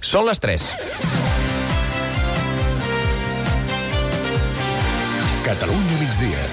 Són les 3. Catalunya migdia.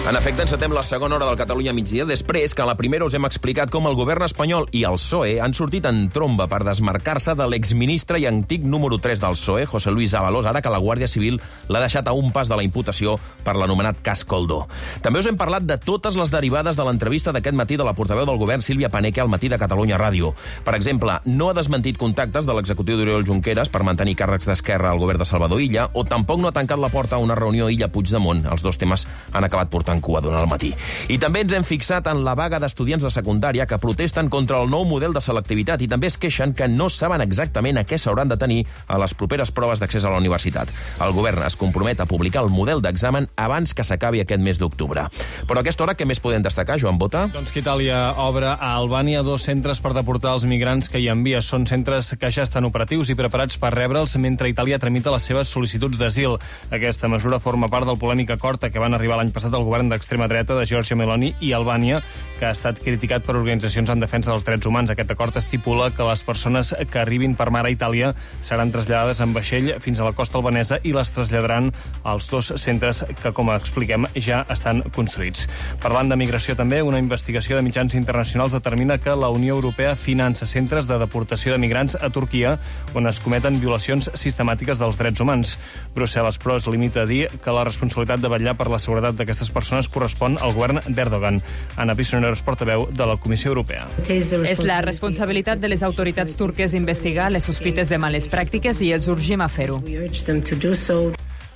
En efecte, encetem la segona hora del Catalunya migdia, després que a la primera us hem explicat com el govern espanyol i el PSOE han sortit en tromba per desmarcar-se de l'exministre i antic número 3 del PSOE, José Luis Ábalos, ara que la Guàrdia Civil l'ha deixat a un pas de la imputació per l'anomenat cas Coldo. També us hem parlat de totes les derivades de l'entrevista d'aquest matí de la portaveu del govern, Sílvia Paneque, al Matí de Catalunya Ràdio. Per exemple, no ha desmentit contactes de l'executiu d'Oriol Junqueras per mantenir càrrecs d'Esquerra al govern de Salvador Illa, o tampoc no ha tancat la porta a una reunió Illa-Puigdemont. Els dos temes han acabat portant cua durant el matí. I també ens hem fixat en la vaga d'estudiants de secundària que protesten contra el nou model de selectivitat i també es queixen que no saben exactament a què s'hauran de tenir a les properes proves d'accés a la universitat. El govern es compromet a publicar el model d'examen abans que s'acabi aquest mes d'octubre. Però a aquesta hora, què més podem destacar, Joan Bota? Doncs que Itàlia obre a Albània 2 centres per deportar els migrants que hi envia. Són centres que ja estan operatius i preparats per rebre'ls mentre Itàlia tramita les seves sol·licituds d'asil. Aquesta mesura forma part del polèmic acord a què van arribar l'any passat el govern d'extrema dreta de Giorgia Meloni i Albània, que ha estat criticat per organitzacions en defensa dels drets humans. Aquest acord estipula que les persones que arribin per mar a Itàlia seran traslladades en vaixell fins a la costa albanesa i les traslladaran als 2 centres que, com expliquem, ja estan construïts. Parlant de migració també, una investigació de mitjans internacionals determina que la Unió Europea finança centres de deportació de migrants a Turquia on es cometen violacions sistemàtiques dels drets humans. Brussel·les, però, es limita a dir que la responsabilitat de vetllar per la seguretat d'aquestes persones correspon al govern d'Erdogan. Ana Pisonero és portaveu de la Comissió Europea. És la responsabilitat de les autoritats turques investigar les sospites de males pràctiques i els urgim a fer-ho.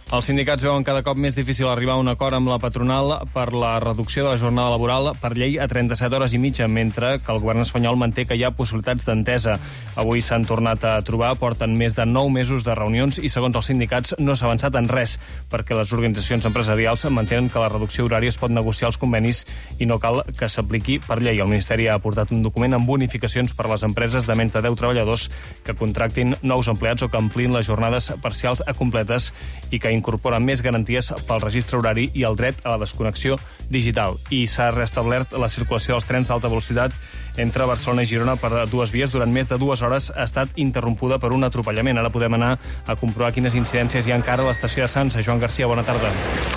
Els sindicats veuen cada cop més difícil arribar a un acord amb la patronal per la reducció de la jornada laboral per llei a 37 hores i mitja, mentre que el govern espanyol manté que hi ha possibilitats d'entesa. Avui s'han tornat a trobar, porten més de 9 mesos de reunions i, segons els sindicats, no s'ha avançat en res, perquè les organitzacions empresarials mantenen que la reducció horària es pot negociar als convenis i no cal que s'apliqui per llei. El Ministeri ha aportat un document amb bonificacions per a les empreses de menys de 10 treballadors que contractin nous empleats o que ampliïn les jornades parcials a completes i que incorporen més garanties pel registre horari i el dret a la desconnexió digital. I s'ha restablert la circulació dels trens d'alta velocitat entre Barcelona i Girona per 2 vies. Durant més de 2 hores ha estat interrompuda per un atropellament. Ara podem anar a comprovar quines incidències hi ha encara a l'estació de Sants. Joan Garcia, bona tarda.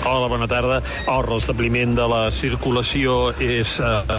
Hola, bona tarda. El restabliment de la circulació és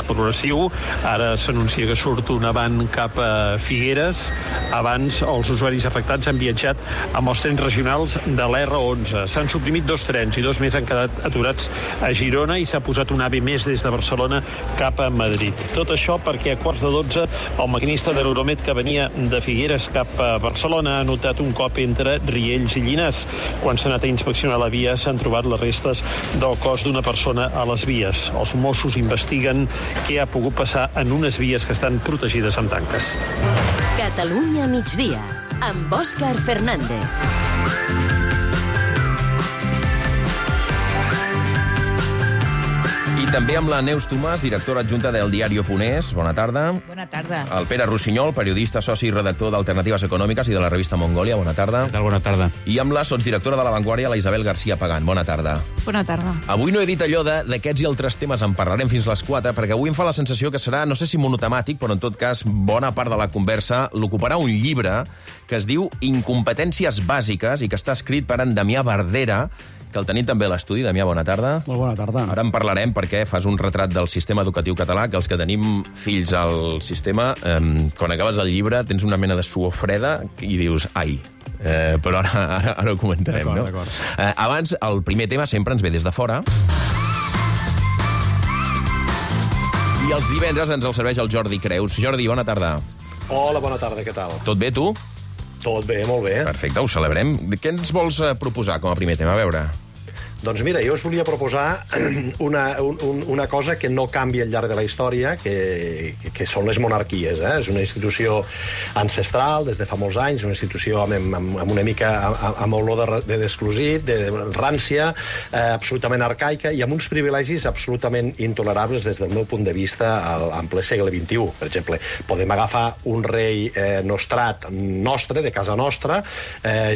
progressiu. Ara s'anuncia que surt un avant cap a Figueres. Abans, els usuaris afectats han viatjat amb els trens regionals de l'R11. S'han suprimit 2 trens i 2 més han quedat aturats a Girona i s'ha posat un AVE més des de Barcelona cap a Madrid. Tot això perquè a 11:15 el maquinista de l'Euromed que venia de Figueres cap a Barcelona ha notat un cop entre Riells i Llinars. Quan s'ha anat a inspeccionar la via s'han trobat les restes del cos d'una persona a les vies. Els Mossos investiguen què ha pogut passar en unes vies que estan protegides amb tanques. Catalunya migdia, amb Òscar Fernández. I també amb la Neus Tomàs, directora adjunta del Diario.es. Bona tarda. Bona tarda. El Pere Rossinyol, periodista, soci i redactor d'Alternatives Econòmiques i de la revista Mongòlia. Bona tarda. Bona tarda. I amb la sotsdirectora de La Vanguardia, la Isabel García Pagán. Bona tarda. Bona tarda. Avui no he dit allò d'aquests i altres temes, en parlarem fins les 4, perquè avui em fa la sensació que serà, no sé si monotemàtic, però en tot cas, bona part de la conversa l'ocuparà un llibre que es diu Incompetències bàsiques i que està escrit per en Damià Verdera, que el tenim també a l'estudi. Damià, bona tarda. Molt bona tarda. Ara en parlarem perquè fas un retrat del sistema educatiu català, que els que tenim fills al sistema, quan acabes el llibre tens una mena de suor freda i dius, ai, però ara ho comentarem, no? D'acord. Abans, el primer tema sempre ens ve des de fora. I els divendres ens el serveix el Jordi Creus. Jordi, bona tarda. Hola, bona tarda, què tal? Tot bé, tu? Tot bé, molt bé. Perfecte, ho celebrem. Què ens vols proposar com a primer tema? A veure... Doncs mira, jo us volia proposar una cosa que no canvia al llarg de la història, que són les monarquies. És una institució ancestral, des de fa molts anys, una institució amb una mica amb olor de desclosit, de rància, absolutament arcaica, i amb uns privilegis absolutament intolerables des del meu punt de vista en ple segle XXI. Per exemple, podem agafar un rei nostrat nostre, de casa nostra,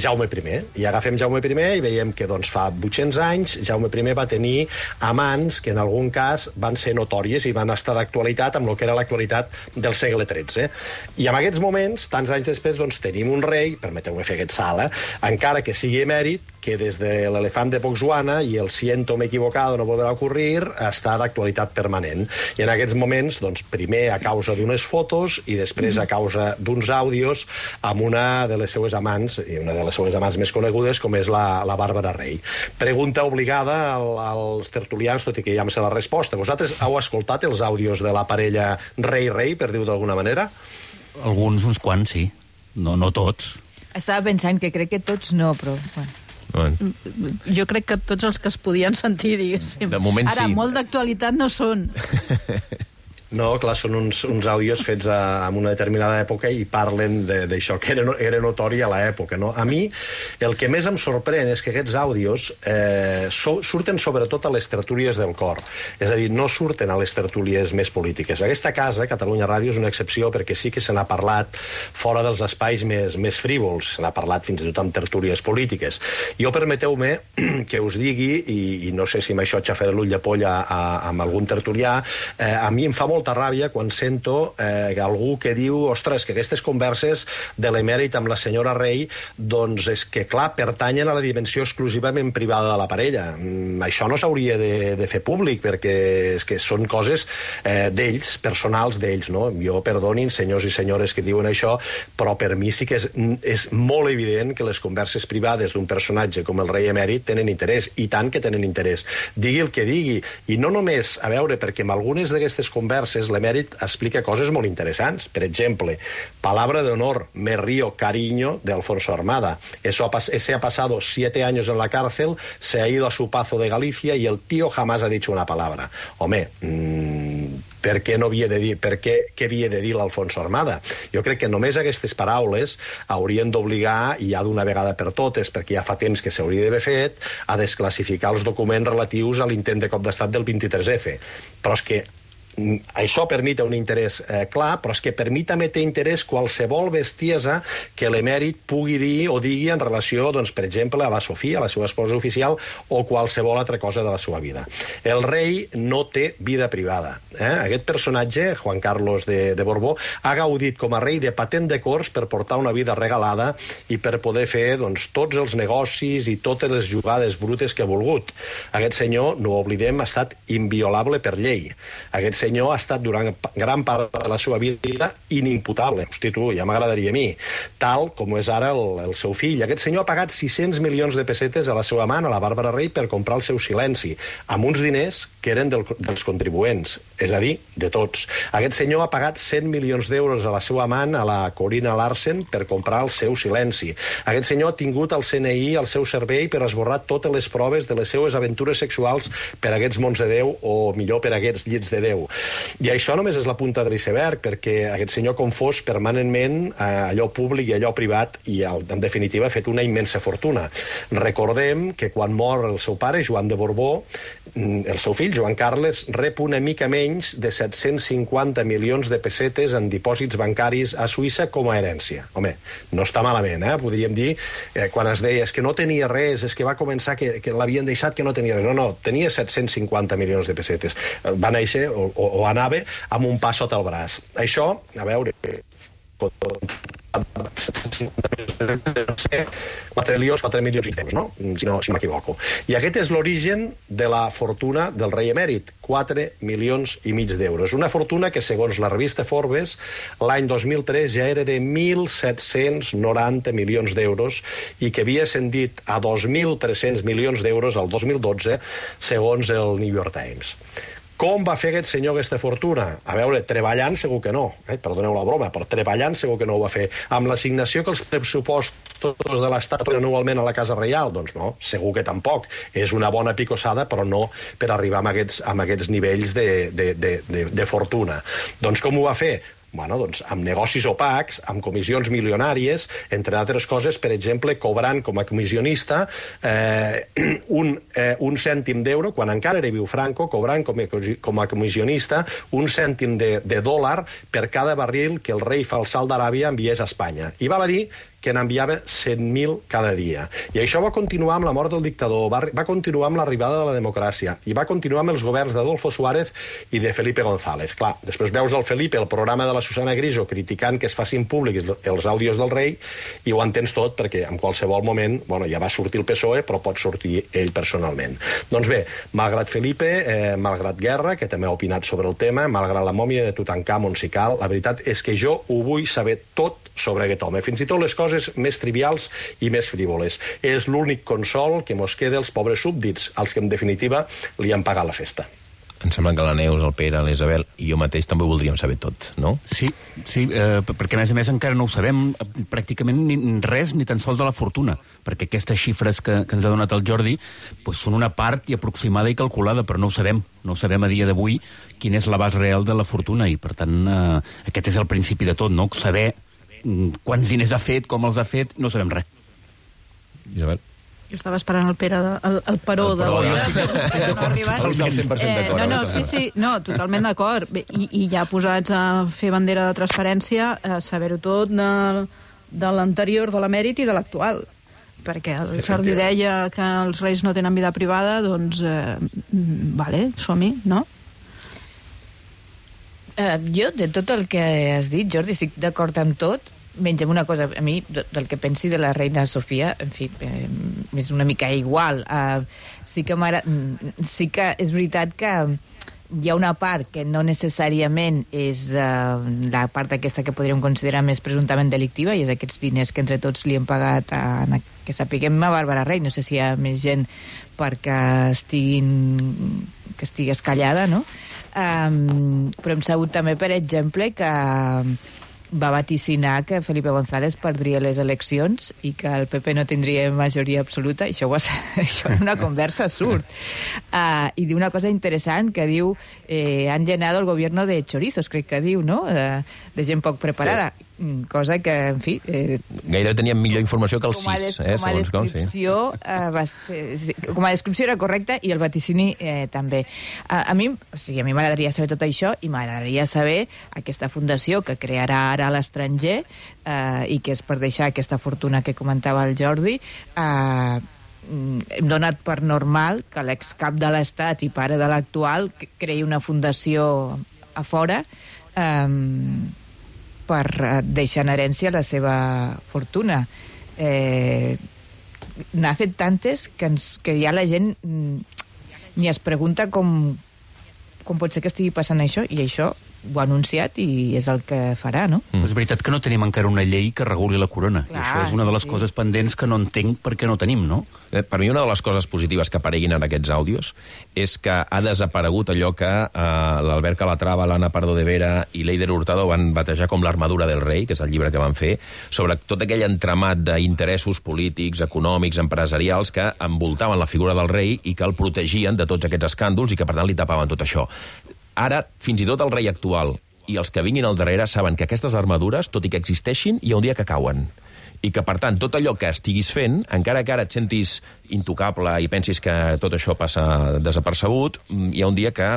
Jaume I, i agafem Jaume I i veiem que fa 800 anys anys, Jaume I va tenir amants que en algun cas van ser notòries i van estar d'actualitat amb el que era l'actualitat del segle XIII. I en aquests moments, tants anys després, doncs, tenim un rei, permeteu-me fer aquest salt, encara que sigui emèrit, que des de l'elefant de Botswana i el siento me equivocado no podrà ocurrir, està d'actualitat permanent. I en aquests moments, doncs, primer a causa d'unes fotos i després a causa d'uns àudios amb una de les seues amants, i una de les seues amants més conegudes, com és la Bàrbara Rey. Pregunta obligada als tertulians, tot i que ja em sé la resposta. Vosaltres heu escoltat els àudios de la parella Rey-Rey, per dir-ho d'alguna manera? Alguns, uns quants, sí. No tots. Estava pensant que crec que tots no, però... Bueno. Jo crec que tots els que es podien sentir, diguéssim. De moment Ara, sí. molt d'actualitat no són. No, clar, són uns àudios fets en una determinada època i parlen d'això, que era notori a l'època, no? A mi, el que més em sorprèn és que aquests àudios surten sobretot a les tertúlies del cor. És a dir, no surten a les tertúlies més polítiques. Aquesta casa, Catalunya Ràdio, és una excepció perquè sí que se n'ha parlat fora dels espais més frívols. Se n'ha parlat fins i tot amb tertúlies polítiques. Jo, permeteu-me que us digui, i no sé si amb això xafaré l'ull de polla amb algun tertulià, a mi em fa molta ràbia quan sento algú que diu, ostres, que aquestes converses de l'emèrit amb la senyora Rey, doncs és que, clar, pertanyen a la dimensió exclusivament privada de la parella. Això no s'hauria de fer públic, perquè és que són coses d'ells, personals d'ells, no? Jo, perdonin, senyors i senyores que diuen això, però per mi sí que és molt evident que les converses privades d'un personatge com el rei emèrit tenen interès, i tant que tenen interès. Digui el que digui, i no només, a veure, perquè en algunes d'aquestes converses l'emèrit explica coses molt interessants. Per exemple, palabra de honor, me río, cariño, de Alfonso Armada. Ese ha pasado 7 años en la cárcel, se ha ido a su pazo de Galicia y el tío jamás ha dicho una palabra. Home, per què no havia de dir, què havia de dir l'Alfonso Armada? Jo crec que només aquestes paraules haurien d'obligar, i ja d'una vegada per totes, perquè ja fa temps que s'hauria d'haver fet, a desclassificar els documents relatius a l'intent de cop d'estat del 23F. Però és que això permite un interès clar, però és que per mi també té interès qualsevol bestiesa que l'emèrit pugui dir o digui en relació, doncs, per exemple, a la Sofia, la seva esposa oficial, o qualsevol altra cosa de la seva vida. El rei no té vida privada. Aquest personatge, Juan Carlos de Borbó, ha gaudit com a rei de patent de cors per portar una vida regalada i per poder fer, doncs, tots els negocis i totes les jugades brutes que ha volgut. Aquest senyor, no ho oblidem, ha estat inviolable per llei. Aquest senyor ha estat durant gran part de la seva vida inimputable. Hosti, tu, ja m'agradaria a mi. Tal com és ara el seu fill. Aquest senyor ha pagat 600 milions de pessetes a la seva amant, a la Bàrbara Rey, per comprar el seu silenci, amb uns diners que eren dels contribuents, és a dir, de tots. Aquest senyor ha pagat 100 milions d'euros a la seva amant, a la Corina Larsen, per comprar el seu silenci. Aquest senyor ha tingut el CNI al seu servei per esborrar totes les proves de les seues aventures sexuals per a aquests mons de Déu, o millor per a aquests llits de Déu. I això només és la punta de l'iceberg, perquè aquest senyor confós permanentment allò públic i allò privat, i en definitiva ha fet una immensa fortuna. Recordem que quan mor el seu pare, Joan de Borbó, el seu fill, Joan Carles, rep una mica menys de 750 milions de pessetes en dipòsits bancaris a Suïssa com a herència. Home, no està malament, podríem dir, quan es deia que no tenia res, és que va començar que l'havien deixat que no tenia res. No, tenia 750 milions de pessetes. Va néixer o anava amb un pa sota el braç. Això, a veure... 4 milions d'euros, no? Si m'equivoco. I aquest és l'origen de la fortuna del rei emèrit, 4 milions i mig d'euros. Una fortuna que, segons la revista Forbes, l'any 2003 ja era de 1.790 milions d'euros i que havia ascendit a 2.300 milions d'euros al 2012, segons el New York Times. Com va fer aquest senyor aquesta fortuna? A veure, treballant segur que no. Perdoneu la broma, però treballant segur que no ho va fer. Amb l'assignació que els pressupostos de l'Estat anualment a la Casa Reial? Doncs no, segur que tampoc. És una bona picossada, però no per arribar a aquests nivells de fortuna. Doncs com ho va fer? Bueno, doncs amb negocis opacs, amb comissions milionàries, entre altres coses, per exemple, cobrant com a comissionista un cèntim d'euro, quan encara era viu Franco, cobrant com a comissionista un cèntim de dòlar per cada barril que el rei falsal d'Aràbia enviés a Espanya. I val a dir que n'enviava 100.000 cada dia. I això va continuar amb la mort del dictador, va continuar amb l'arribada de la democràcia, i va continuar amb els governs d'Adolfo Suárez i de Felipe González. Clar, després veus el Felipe, el programa de la Susana Griso, criticant que es facin públics els àudios del rei, i ho entens tot, perquè en qualsevol moment, bueno, ja va sortir el PSOE, però pot sortir ell personalment. Doncs bé, malgrat Felipe, malgrat Guerra, que també ha opinat sobre el tema, malgrat la mòmia de Tutankamon, si cal, la veritat és que jo ho vull saber tot sobre aquest home, fins i tot les coses més trivials i més frívoles. És l'únic consol que mos queda als pobres súbdits, als que en definitiva li han pagat la festa. Em sembla que la Neus, el Pere, l'Isabel i jo mateix també ho voldríem saber tot, no? Sí, perquè a més encara no ho sabem pràcticament res, ni tan sols de la fortuna, perquè aquestes xifres que ens ha donat el Jordi són una part i aproximada i calculada, però no ho sabem. No sabem a dia d'avui quin és l'abast real de la fortuna, i per tant aquest és el principi de tot, no? Saber quants diners ha fet, com els ha fet, no sabem res. Isabel? Jo estava esperant el Pere, el Peró de... No ha arribat. Del 100% d'acord. Sí, totalment d'acord. I ja posats a fer bandera de transparència, saber-ho tot de l'anterior, de l'emèrit i de l'actual. Perquè el Jordi deia que els reis no tenen vida privada, doncs, vale, som-hi, no? Jo, de tot el que has dit, Jordi, estic d'acord amb tot, menys amb una cosa, a mi, del que pensi de la reina Sofia, en fi, és una mica igual. Sí que és veritat que hi ha una part que no necessàriament és la part aquesta que podríem considerar més presumptament delictiva, i és aquests diners que entre tots li hem pagat que sapiguem a Bàrbara Rey. No sé si hi ha més gent perquè estigui escallada, no? Però hem sabut també, per exemple, que va vaticinar que Felipe González perdria les eleccions i que el PP no tindria majoria absoluta. Això en una conversa surt. I diu una cosa interessant, que diu han llenado el gobierno de chorizos, crec que diu, no? De gent poc preparada. Sí. Cosa que, en fi... Gairebé teníem millor informació que el 6, segons com, sí. Com a descripció era correcta, i el vaticini també. A mi m'agradaria saber tot això, i m'agradaria saber aquesta fundació que crearà ara a l'estranger i que és per deixar aquesta fortuna que comentava el Jordi. Hem donat per normal que l'excap de l'Estat i pare de l'actual creï una fundació a fora per deixar en herència la seva fortuna. N'ha fet tantes que ja la gent ni es pregunta com pot ser que estigui passant això, i això ho ha anunciat i és el que farà, no? És veritat que no tenim encara una llei que reguli la corona. Clar, i això és una de les coses pendents que no entenc per què no tenim, no? Per mi una de les coses positives que apareguin en aquests àudios és que ha desaparegut allò que l'Albert Calatrava, l'Anna Pardo de Vera i l'Eider Hurtado van batejar com l'armadura del rei, que és el llibre que van fer, sobre tot aquell entramat d'interessos polítics, econòmics, empresarials que envoltaven la figura del rei i que el protegien de tots aquests escàndols i que, per tant, li tapaven tot això. Ara, fins i tot el rei actual i els que vinguin al darrere saben que aquestes armadures, tot i que existeixin, hi ha un dia que cauen. I que, per tant, tot allò que estiguis fent, encara que ara et sentis intocable i pensis que tot això passa desapercebut, hi ha un dia que,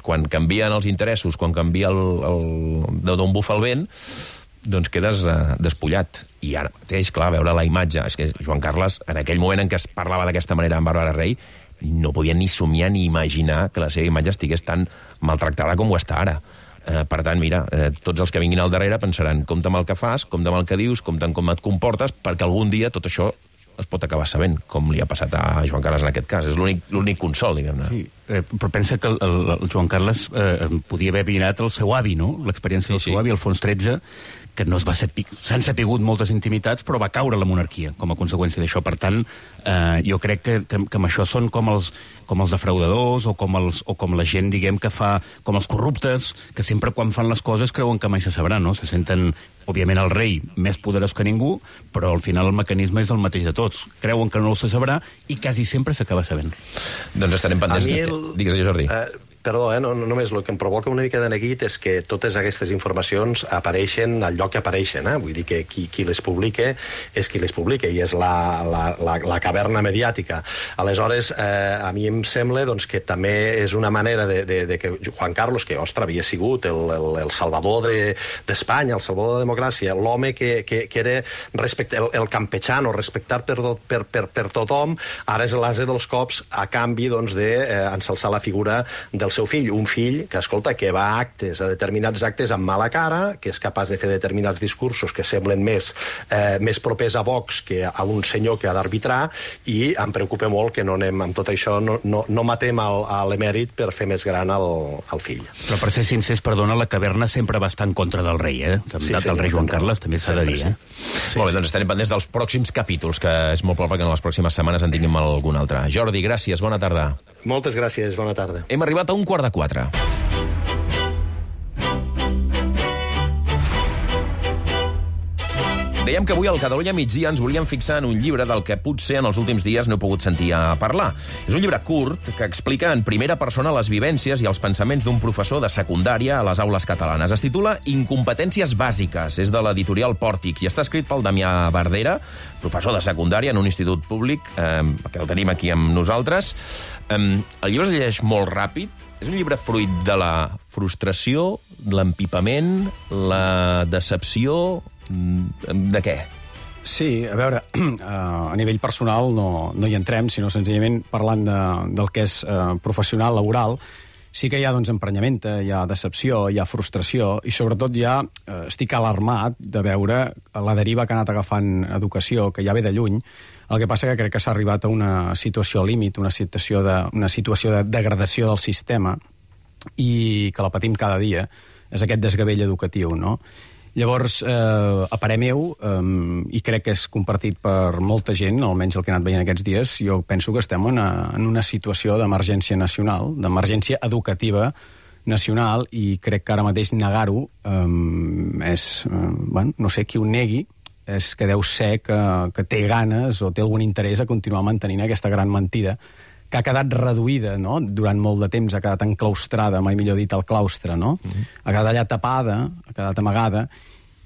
quan canvien els interessos, quan canvia d'on bufa el vent, doncs quedes despullat. I ara mateix, clar, veure la imatge... És que Joan Carles, en aquell moment en què es parlava d'aquesta manera amb Bàrbara Rey, no podia ni somiar ni imaginar que la seva imatge estigués tan maltractada com ho està ara. Per tant, mira, tots els que vinguin al darrere pensaran, compte amb el que fas, compte amb el que dius, compte amb com et comportes, perquè algun dia tot això es pot acabar sabent, com li ha passat a Joan Carles en aquest cas. És l'únic consol, diguem-ne. Sí, però pensa que el Joan Carles podia haver mirat el seu avi, no? L'experiència del seu avi, Alfons XIII, que no s'han sapigut moltes intimitats, però va caure la monarquia com a conseqüència d'això. Per tant, jo crec que amb això són com els defraudadors o com la gent, diguem, que fa... com els corruptes, que sempre quan fan les coses creuen que mai se sabrà, no? Se senten, òbviament, el rei més poderós que ningú, però al final el mecanisme és el mateix de tots. Creuen que no se sabrà i quasi sempre s'acaba sabent. Doncs estarem pendents... Digues, Jordi. perdó, només el que em provoca una mica de neguit és que totes aquestes informacions apareixen al lloc que apareixen. Vull dir que qui les publica és qui les publica i és la caverna mediàtica. Aleshores, a mi em sembla que també és una manera de que Juan Carlos, que, ostres, havia sigut el salvador d'Espanya, el salvador de la democràcia, l'home que era el campechano, respectat per tothom, ara és l'ase dels cops a canvi d'ensalçar la figura del seu fill. Un fill que, escolta, que va a determinats actes amb mala cara, que és capaç de fer determinats discursos que semblen més propers a Vox que a un senyor que ha d'arbitrar, i em preocupa molt que no anem amb tot això, no matem l'emèrit per fer més gran el fill. Però per ser sincers, perdona, la caverna sempre va estar en contra del rei, del rei Joan Carles, també s'ha de dir. Molt bé, doncs estarem pendents dels pròxims capítols, que és molt probable que en les pròximes setmanes en tinguem algun altre. Jordi, gràcies, bona tarda. Moltes gràcies, bona tarda. Hem arribat a 3:15. Dèiem que avui al Catalunya Migdia ens volíem fixar en un llibre del que potser en els últims dies no he pogut sentir a parlar. És un llibre curt que explica en primera persona les vivències i els pensaments d'un professor de secundària a les aules catalanes. Es titula Incompetències bàsiques, és de l'editorial Pòrtic i està escrit pel Damià Bardera, professor de secundària en un institut públic, que el tenim aquí amb nosaltres. El llibre es llegeix molt ràpid. És un llibre fruit de la frustració, l'empipament, la decepció. De què? Sí, a veure, a nivell personal no hi entrem, sinó senzillament parlant del que és professional, laboral, sí que hi ha emprenyamenta, hi ha decepció, hi ha frustració, i sobretot ja estic alarmat de veure la deriva que ha anat agafant educació, que ja ve de lluny. El que passa que crec que s'ha arribat a una situació límit, una situació de degradació del sistema, i que la patim cada dia, és aquest desgavell educatiu, no? Llavors, a parer meu, i crec que és compartit per molta gent, almenys el que he anat veient aquests dies, jo penso que estem en una situació d'emergència nacional, d'emergència educativa nacional, i crec que ara mateix negar-ho és, no sé, qui ho negui, és que deu ser que té ganes o té algun interès a continuar mantenint aquesta gran mentida que ha quedat reduïda, no? Durant molt de temps, ha quedat enclaustrada, mai millor dit, al claustre, no? Ha quedat allà tapada, ha quedat amagada,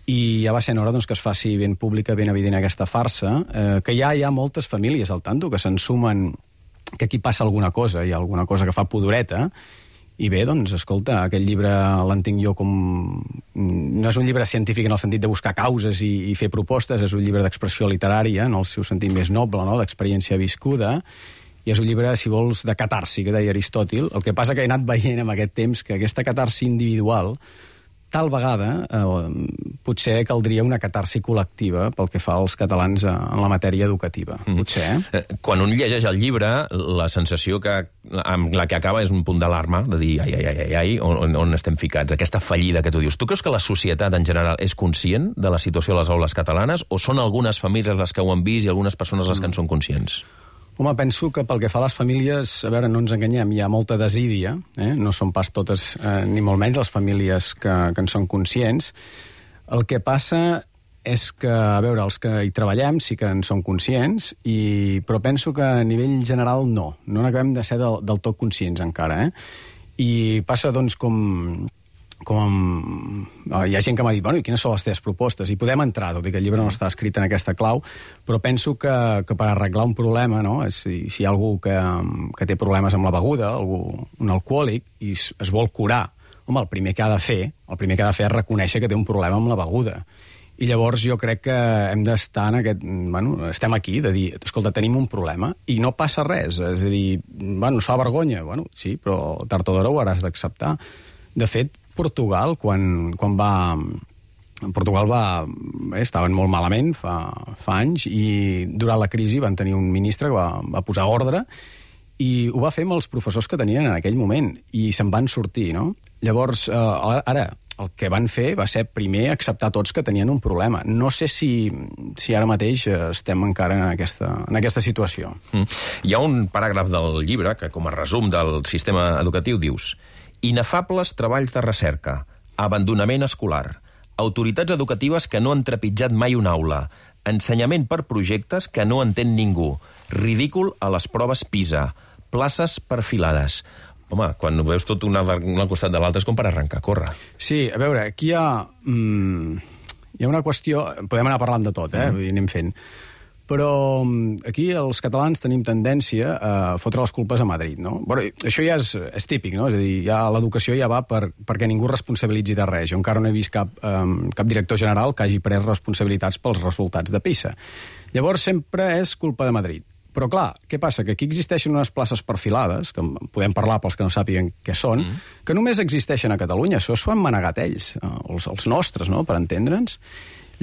i ja va ser hora que es faci ben pública, ben evident aquesta farsa, que ja hi ha moltes famílies al tanto que se'n sumen que aquí passa alguna cosa, hi ha alguna cosa que fa pudoreta, i bé, escolta, aquest llibre l'entenc jo com... No és un llibre científic en el sentit de buscar causes i fer propostes, és un llibre d'expressió literària, en el seu sentit més noble, no? D'experiència viscuda, i és un llibre, si vols, de catarsi, que deia Aristòtil. El que passa que he anat veient amb aquest temps que aquesta catarsi individual, tal vegada, potser caldria una catarsi col·lectiva pel que fa als catalans en la matèria educativa. Potser, Quan un llegeix el llibre, la sensació amb la que acaba és un punt d'alarma, de dir, ai, on estem ficats? Aquesta fallida que tu dius. Tu creus que la societat en general és conscient de la situació a les aules catalanes, o són algunes famílies les que ho han vist i algunes persones les que en són conscients? Home, penso que pel que fa a les famílies, a veure, no ens enganyem, hi ha molta desídia, no són pas totes, ni molt menys, les famílies que en són conscients. El que passa és que, a veure, els que hi treballem sí que en són conscients, però penso que a nivell general no n'acabem de ser del tot conscients encara, I passa, hi ha gent que m'ha dit, i quines són les teves propostes? I podem entrar, tot i que el llibre no està escrit en aquesta clau, però penso que per arreglar un problema, si hi ha algú que té problemes amb la beguda, un alcohòlic, i es vol curar, el primer que ha de fer és reconèixer que té un problema amb la beguda. I llavors jo crec que hem d'estar en aquest... estem aquí, de dir, escolta, tenim un problema, i no passa res, és a dir, ens fa vergonya, sí, però tard o d'hora ho hauràs d'acceptar. De fet, Portugal, quan va... Portugal estaven molt malament fa anys, i durant la crisi van tenir un ministre que va posar ordre, i ho va fer amb els professors que tenien en aquell moment, i se'n van sortir, no? Llavors, ara, el que van fer va ser primer acceptar tots que tenien un problema. No sé si ara mateix estem encara en aquesta situació. Hi ha un paràgraf del llibre que, com a resum del sistema educatiu, dius: inefables treballs de recerca, abandonament escolar, autoritats educatives que no han trepitjat mai una aula, ensenyament per projectes que no entén ningú, ridícul a les proves PISA, places perfilades. Home, quan ho veus tot un al costat de l'altre és com per arrencar a córrer. Sí, a veure, aquí hi ha una qüestió... Podem anar parlant de tot, vull dir, anem fent. Però aquí els catalans tenim tendència a fotre les culpes a Madrid, no? Bueno, això ja és típic, no? És a dir, ja l'educació ja va perquè ningú responsabilitzi de res. Jo encara no he vist cap director general que hagi pres responsabilitats pels resultats de PISA. Llavors sempre és culpa de Madrid. Però clar, què passa? Que aquí existeixen unes places perfilades, que podem parlar pels que no sàpiguen què són, que només existeixen a Catalunya. Això s'ho han manegat ells, els nostres, no?, per entendre'ns.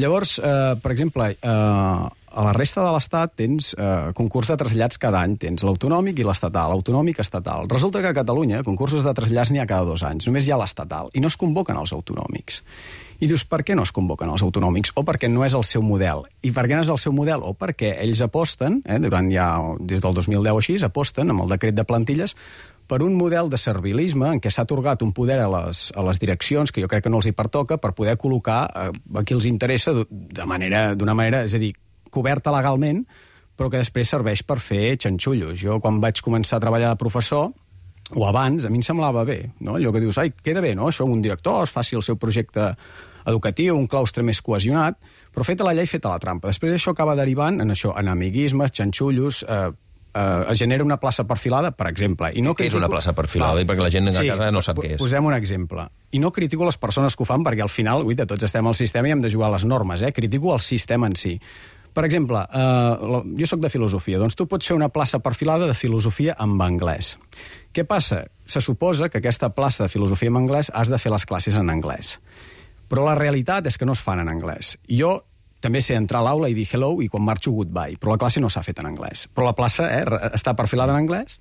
Llavors, per exemple, a la resta de l'Estat tens concurs de trasllats cada any, tens l'autonòmic i l'estatal, autonòmic, estatal. Resulta que a Catalunya concursos de trasllats n'hi ha cada 2 anys, només hi ha l'estatal, i no es convoquen els autonòmics. I dius, per què no es convoquen els autonòmics? O perquè no és el seu model. I per què no és el seu model? O perquè ells aposten, durant ja, des del 2010 o així, aposten amb el decret de plantilles per un model de servilisme en què s'ha atorgat un poder a les direccions, que jo crec que no els hi pertoca, per poder col·locar a qui els interessa d'una manera, és a dir, coberta legalment, però que després serveix per fer xanxullos. Jo, quan vaig començar a treballar de professor, o abans, a mi em semblava bé, no? Allò que dius, queda bé, no? Això un director es faci el seu projecte educatiu, un claustre més cohesionat, però feta la llei, feta la trampa. Després això acaba derivant en això, en amiguismes, xanxullos, es genera una plaça perfilada, per exemple. I no què és una plaça perfilada? Perquè la gent a casa no sap què és. Posem un exemple. I no critico les persones que ho fan, perquè al final, tots estem al sistema i hem de jugar a les normes, critico el sistema en si. Per exemple, jo sóc de filosofia, doncs tu pots fer una plaça perfilada de filosofia en anglès. Què passa? Se suposa que aquesta plaça de filosofia en anglès has de fer les classes en anglès. Però la realitat és que no es fan en anglès. Jo també sé entrar a l'aula i dir hello i quan marxo goodbye, però la classe no s'ha fet en anglès. Però la plaça està perfilada en anglès,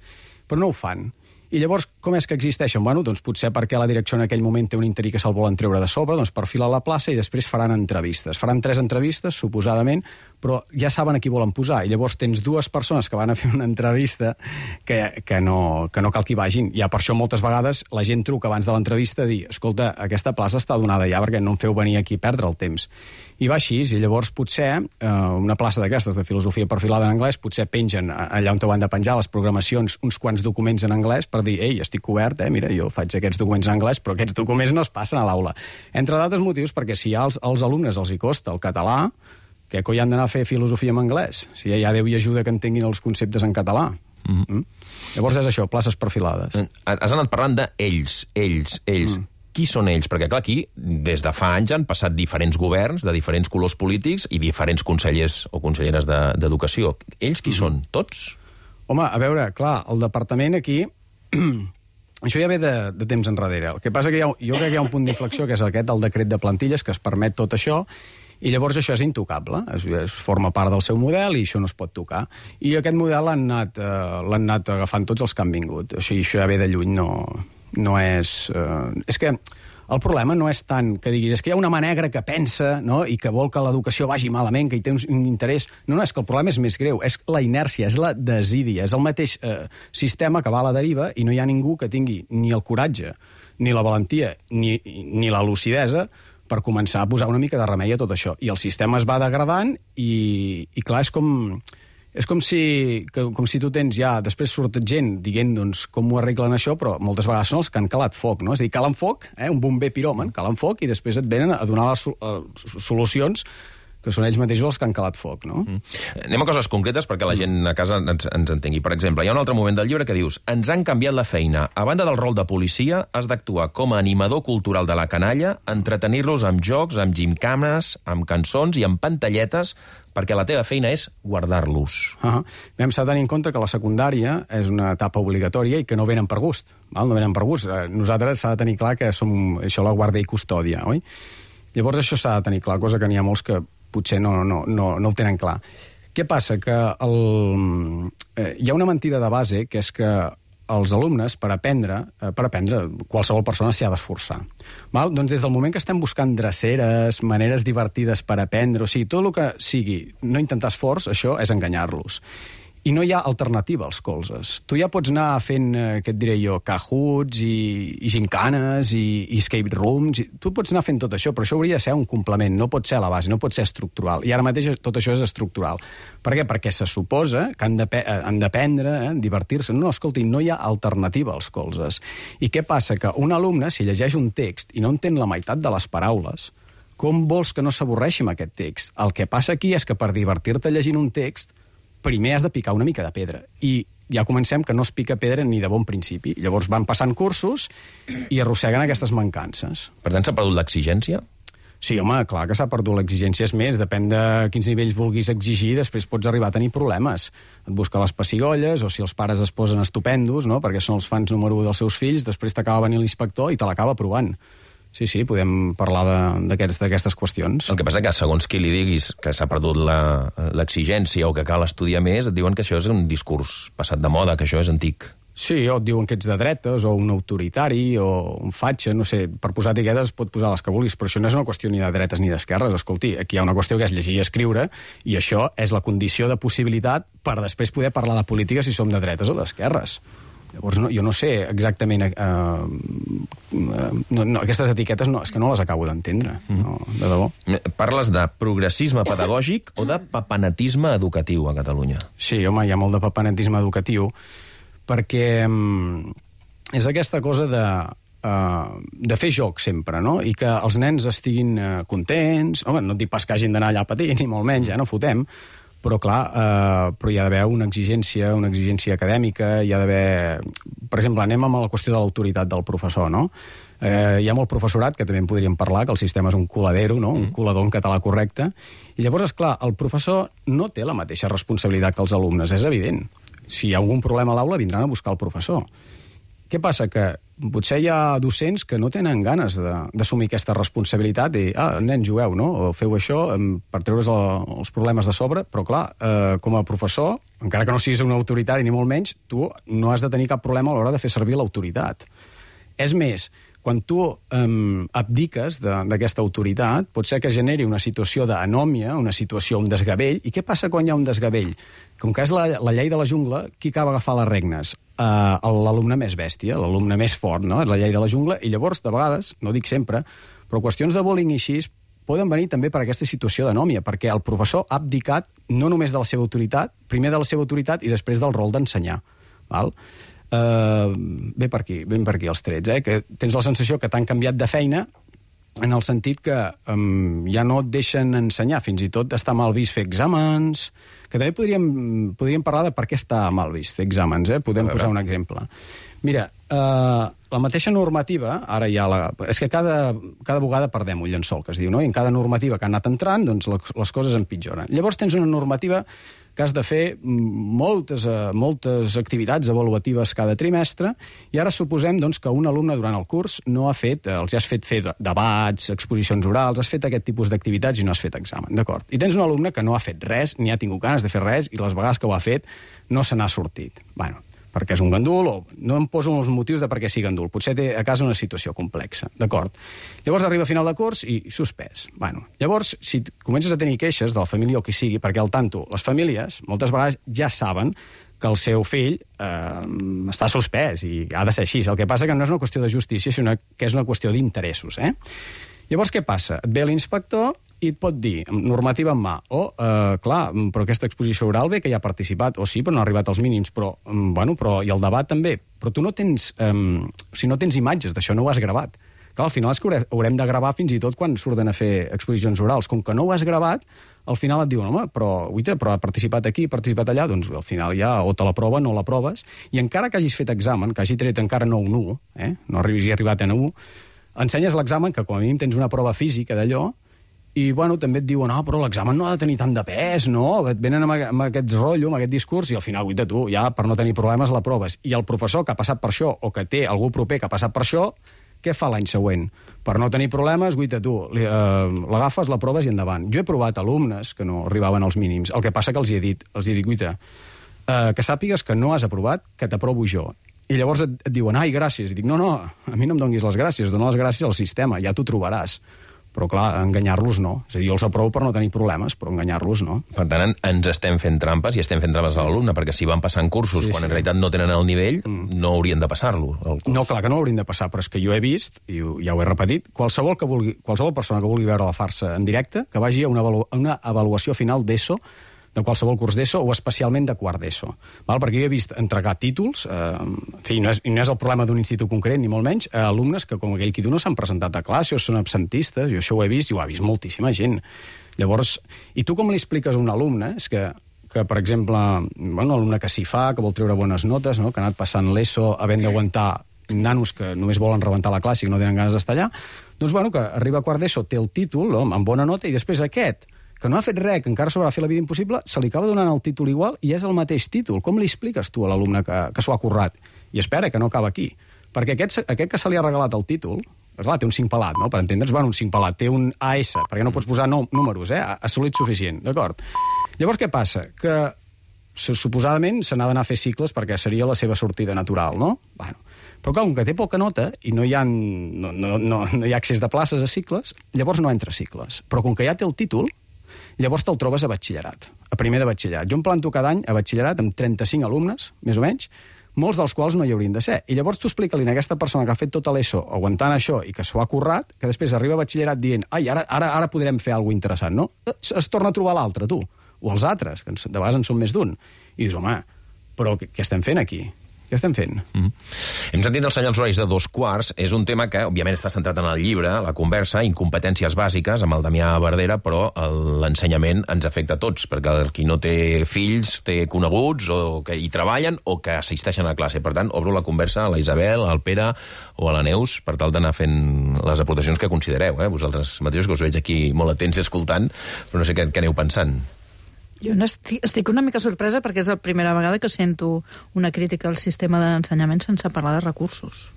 però no ho fan. I llavors, com és que existeixen? Bueno, doncs potser perquè la direcció en aquell moment té un interí que se'l volen treure de sobre, doncs perfila la plaça i després faran entrevistes. Faran 3 entrevistes, suposadament, però ja saben a qui volen posar. I llavors tens 2 persones que van a fer una entrevista que no cal que hi vagin. Ja per això moltes vegades la gent truca abans de l'entrevista a dir, escolta, aquesta plaça està donada ja perquè no em feu venir aquí a perdre el temps. I va així, i llavors potser una plaça d'aquestes de filosofia perfilada en anglès potser pengen allà on ho han de penjar les programacions uns quants documents en anglès per dir, ei, estic cobert, mira, jo faig aquests documents en anglès, però aquests documents no es passen a l'aula. Entre d'altres motius, perquè si als alumnes els hi costa el català, què coi han d'anar a fer filosofia en anglès? Si ja Déu hi ajuda que entenguin els conceptes en català. Llavors és això, places perfilades. Has anat parlant d'ells. Qui són ells? Perquè, clar, aquí, des de fa anys han passat diferents governs de diferents colors polítics i diferents consellers o conselleres d'educació. Ells qui són? Tots? Home, a veure, clar, el departament aquí... Això ja ve de temps enrere. El que passa que jo crec que hi ha un punt d'inflexió, que és aquest, el decret de plantilles, que es permet tot això, i llavors això és intocable. Es forma part del seu model i això no es pot tocar. I aquest model l'han anat agafant tots els que han vingut. Això ja ve de lluny, no és... És que el problema no és tant que diguis és que hi ha una mà negra que pensa, no?, i que vol que l'educació vagi malament, que hi té un interès. No, és que el problema és més greu. És la inèrcia, és la desídia, és el mateix sistema que va a la deriva i no hi ha ningú que tingui ni el coratge, ni la valentia, ni la lucidesa per començar a posar una mica de remei a tot això. I el sistema es va degradant i clar, és com si tu tens ja... Després surt gent dient doncs, com ho arreglen això, però moltes vegades són els que han calat foc, no? És a dir, calen foc, un bomber piròman, calen foc i després et venen a donar les solucions que són ells mateixos els que han calat foc, no? Anem a coses concretes perquè la gent a casa ens entengui. Per exemple, hi ha un altre moment del llibre que dius ens han canviat la feina. A banda del rol de policia, has d'actuar com a animador cultural de la canalla, entretenir-los amb jocs, amb gimcames, amb cançons i amb pantalletes perquè la teva feina és guardar-los. Hem de tenir en compte que la secundària és una etapa obligatòria i que no venen per gust. No venen per gust. Nosaltres s'ha de tenir clar que som això la guàrdia i custòdia, oi? Llavors això s'ha de tenir clar, cosa que n'hi ha molts que potser no ho tenen clar. Què passa? Que hi ha una mentida de base, que és que els alumnes, per aprendre, qualsevol persona s'hi ha d'esforçar. Doncs des del moment que estem buscant dreceres, maneres divertides per aprendre, o sigui, tot el que sigui no intentar esforç, això és enganyar-los. i no hi ha alternativa als colzes. Tu ja pots anar fent, què et diré jo, Kahoots i gincanes i escape rooms. Tu pots anar fent tot això, però això hauria de ser un complement, no pot ser a la base, no pot ser estructural. I ara mateix tot això és estructural. Per què? Perquè se suposa que han d'aprendre, divertir-se. No, escolti, no hi ha alternativa als colzes. I què passa? Que un alumne, si llegeix un text i no entén la meitat de les paraules, com vols que no s'avorreixi amb aquest text? El que passa aquí és que per divertir-te llegint un text primer has de picar una mica de pedra. I ja comencem que no es pica pedra ni de bon principi. Llavors van passant cursos i arrosseguen aquestes mancances. Per tant, s'ha perdut l'exigència? Sí, home, clar que s'ha perdut l'exigència. És més, depèn de quins nivells vulguis exigir, després pots arribar a tenir problemes. Et busca les pessigolles, o si els pares es posen estupendos, no?, perquè són els fans número 1 dels seus fills, després t'acaba venint l'inspector i te l'acaba aprovant. Sí, podem parlar d'aquestes qüestions. El que passa que segons qui li diguis que s'ha perdut l'exigència o que cal estudiar més, et diuen que això és un discurs passat de moda, que això és antic. Sí, o et diuen que ets de dretes, o un autoritari, o un fatxa, no sé, per posar etiquetes pot posar les que vulguis, però això no és una qüestió ni de dretes ni d'esquerres. Escolti, aquí hi ha una qüestió que és llegir i escriure, i això és la condició de possibilitat per després poder parlar de política si som de dretes o d'esquerres. Llavors, jo no sé exactament... aquestes etiquetes és que no les acabo d'entendre, de debò. Parles de progressisme pedagògic o de papenatisme educatiu a Catalunya? Sí, home, hi ha molt de papenatisme educatiu, perquè és aquesta cosa de fer joc sempre, no? I que els nens estiguin contents. Home, no et dic pas que hagin d'anar allà a patir, ni molt menys, no fotem, però clar, però hi ha d'haver una exigència acadèmica, hi ha d'haver... Per exemple, anem amb la qüestió de l'autoritat del professor, no? Hi ha molt professorat, que també en podríem parlar, que el sistema és un coladero, no? Un colador en català correcte, i llavors, esclar, el professor no té la mateixa responsabilitat que els alumnes, és evident. Si hi ha algun problema a l'aula, vindran a buscar el professor. Què passa? Que potser hi ha docents que no tenen ganes d'assumir aquesta responsabilitat i, nens, jugueu, no? O feu això per treure's els problemes de sobre, però clar, com a professor, encara que no siguis un autoritari ni molt menys, tu no has de tenir cap problema a l'hora de fer servir l'autoritat. És més, quan tu abdiques d'aquesta autoritat, pot ser que generi una situació d'anòmia, una situació, un desgavell. I què passa quan hi ha un desgavell? Com que és la llei de la jungla, qui acaba agafar les regnes? L'alumne més bèstia, l'alumne més fort, no? És la llei de la jungla, i llavors, de vegades, no dic sempre, però qüestions de bullying i així poden venir també per aquesta situació d'anòmia, perquè el professor ha abdicat no només de la seva autoritat, primer de la seva autoritat i després del rol d'ensenyar. Val? Ve per aquí els trets, que tens la sensació que t'han canviat de feina en el sentit que ja no et deixen ensenyar, fins i tot està mal vist fer exàmens, que també podríem parlar de per què està mal vist fer exàmens, podem posar un exemple. Mira, la mateixa normativa, ara ja és que cada vegada perdem un llençol, que es diu, no? I en cada normativa que ha anat entrant, doncs les coses empitjoren. Llavors tens una normativa que has de fer moltes activitats avaluatives cada trimestre, i ara suposem doncs, que un alumne durant el curs no ha fet, els has fet fer debats, exposicions orals, has fet aquest tipus d'activitats i no has fet examen, d'acord? I tens un alumne que no ha fet res, ni ha tingut ganes de fer res, i les vegades que ho ha fet no se n'ha sortit. Bueno, perquè és un gandul, o no em poso els motius de per què sigui gandul. Potser té a casa una situació complexa, d'acord? Llavors arriba a final de curs i suspès. Bueno, llavors, si comences a tenir queixes de la família o qui sigui, perquè al tanto, les famílies moltes vegades ja saben que el seu fill està suspès i ha de ser així. El que passa que no és una qüestió de justícia, sinó que és una qüestió d'interessos. Llavors, què passa? Et ve l'inspector i et pot dir, normativa en mà, clar, però aquesta exposició oral bé que hi ha participat, o sí, però no ha arribat als mínims, però i el debat també. Però tu no tens imatges d'això, no ho has gravat. Clar, al final és que haurem de gravar fins i tot quan surten a fer exposicions orals. Com que no ho has gravat, al final et diuen, home, però ha participat aquí, ha participat allà, doncs al final ja o te la prova, no la proves, i encara que hagis fet examen, que hagi tret encara no un 1, no hagis arribat a un 1, ensenyes l'examen, que com a mínim tens una prova física d'allò, i també et diuen, però l'examen no ha de tenir tant de pes, no? Et venen amb aquest rotllo, amb aquest discurs, i al final, tu, ja per no tenir problemes la proves. I el professor que ha passat per això, o que té algú proper que ha passat per això, què fa l'any següent? Per no tenir problemes, tu, l'agafes, la proves i endavant. Jo he provat alumnes que no arribaven als mínims. El que passa que els hi he dit, que sàpigues que no has aprovat, que t'aprovo jo. I llavors et diuen, gràcies. I dic, no, a mi no em donguis les gràcies, dona les gràcies al sistema, ja t'ho trobaràs. Però, clar, enganyar-los no. És a dir, jo els aprovo per no tenir problemes, però enganyar-los no. Per tant, ens estem fent trampes i estem fent trampes a l'alumne, perquè si van passant cursos quan en realitat no tenen el nivell, no haurien de passar-lo. No, clar que no l'haurien de passar, però és que jo he vist, i ja ho he repetit, qualsevol persona que vulgui veure la farsa en directe, que vagi a una avaluació final d'ESO, de qualsevol curs d'ESO o especialment de quart d'ESO. Perquè jo he vist entregar títols, en fi, no és el problema d'un institut concret, ni molt menys, a alumnes que, com aquell qui diu, no s'han presentat a classe o són absentistes, jo això ho he vist i ho ha vist moltíssima gent. Llavors, i tu com li expliques a un alumne? És que per exemple, un alumne que s'hi fa, que vol treure bones notes, no? Que ha anat passant l'ESO havent d'aguantar nanos que només volen rebentar la classe i que no tenen ganes d'estar allà, doncs, que arriba a quart d'ESO, té el títol, amb bona nota, i després aquest, que no ha fet res, que encara s'haurà fet la vida impossible, se li acaba donant el títol igual i és el mateix títol. Com li expliques tu a l'alumne que s'ho ha currat? I espera, que no acaba aquí. Perquè aquest que se li ha regalat el títol, clar, té un 5 pelat, no? Per entendre's, un 5 pelat, té un AS, perquè no pots posar números, assolit suficient, d'acord? Llavors, què passa? Que suposadament se n'ha d'anar a fer cicles perquè seria la seva sortida natural, no? Però com que té poca nota i no hi ha accés de places a cicles, llavors no entra a cicles. Però com que ja té el títol, llavors te'l trobes a batxillerat, a primer de batxillerat. Jo em planto cada any a batxillerat amb 35 alumnes, més o menys, molts dels quals no hi haurien de ser. I llavors tu explica-li a aquesta persona que ha fet tot l'ESO aguantant això i que s'ho ha currat, que després arriba a batxillerat dient ara podrem fer alguna cosa interessant, no? Es torna a trobar l'altre, tu, o els altres, que de vegades en són més d'un. I dius, home, però què estem fent aquí? Què estem fent? Hem sentit els senyals horaris de 2:15. És un tema que, òbviament, està centrat en el llibre, la conversa, incompetències bàsiques, amb el Damià Verdera, però l'ensenyament ens afecta a tots, perquè qui no té fills té coneguts o que hi treballen o que assisteixen a classe. Per tant, obro la conversa a la Isabel, al Pere o a la Neus per tal d'anar fent les aportacions que considereu. Vosaltres mateixos, que us veig aquí molt atents i escoltant, però no sé què aneu pensant. Jo estic una mica sorpresa perquè és la primera vegada que sento una crítica al sistema d'ensenyament sense parlar de recursos.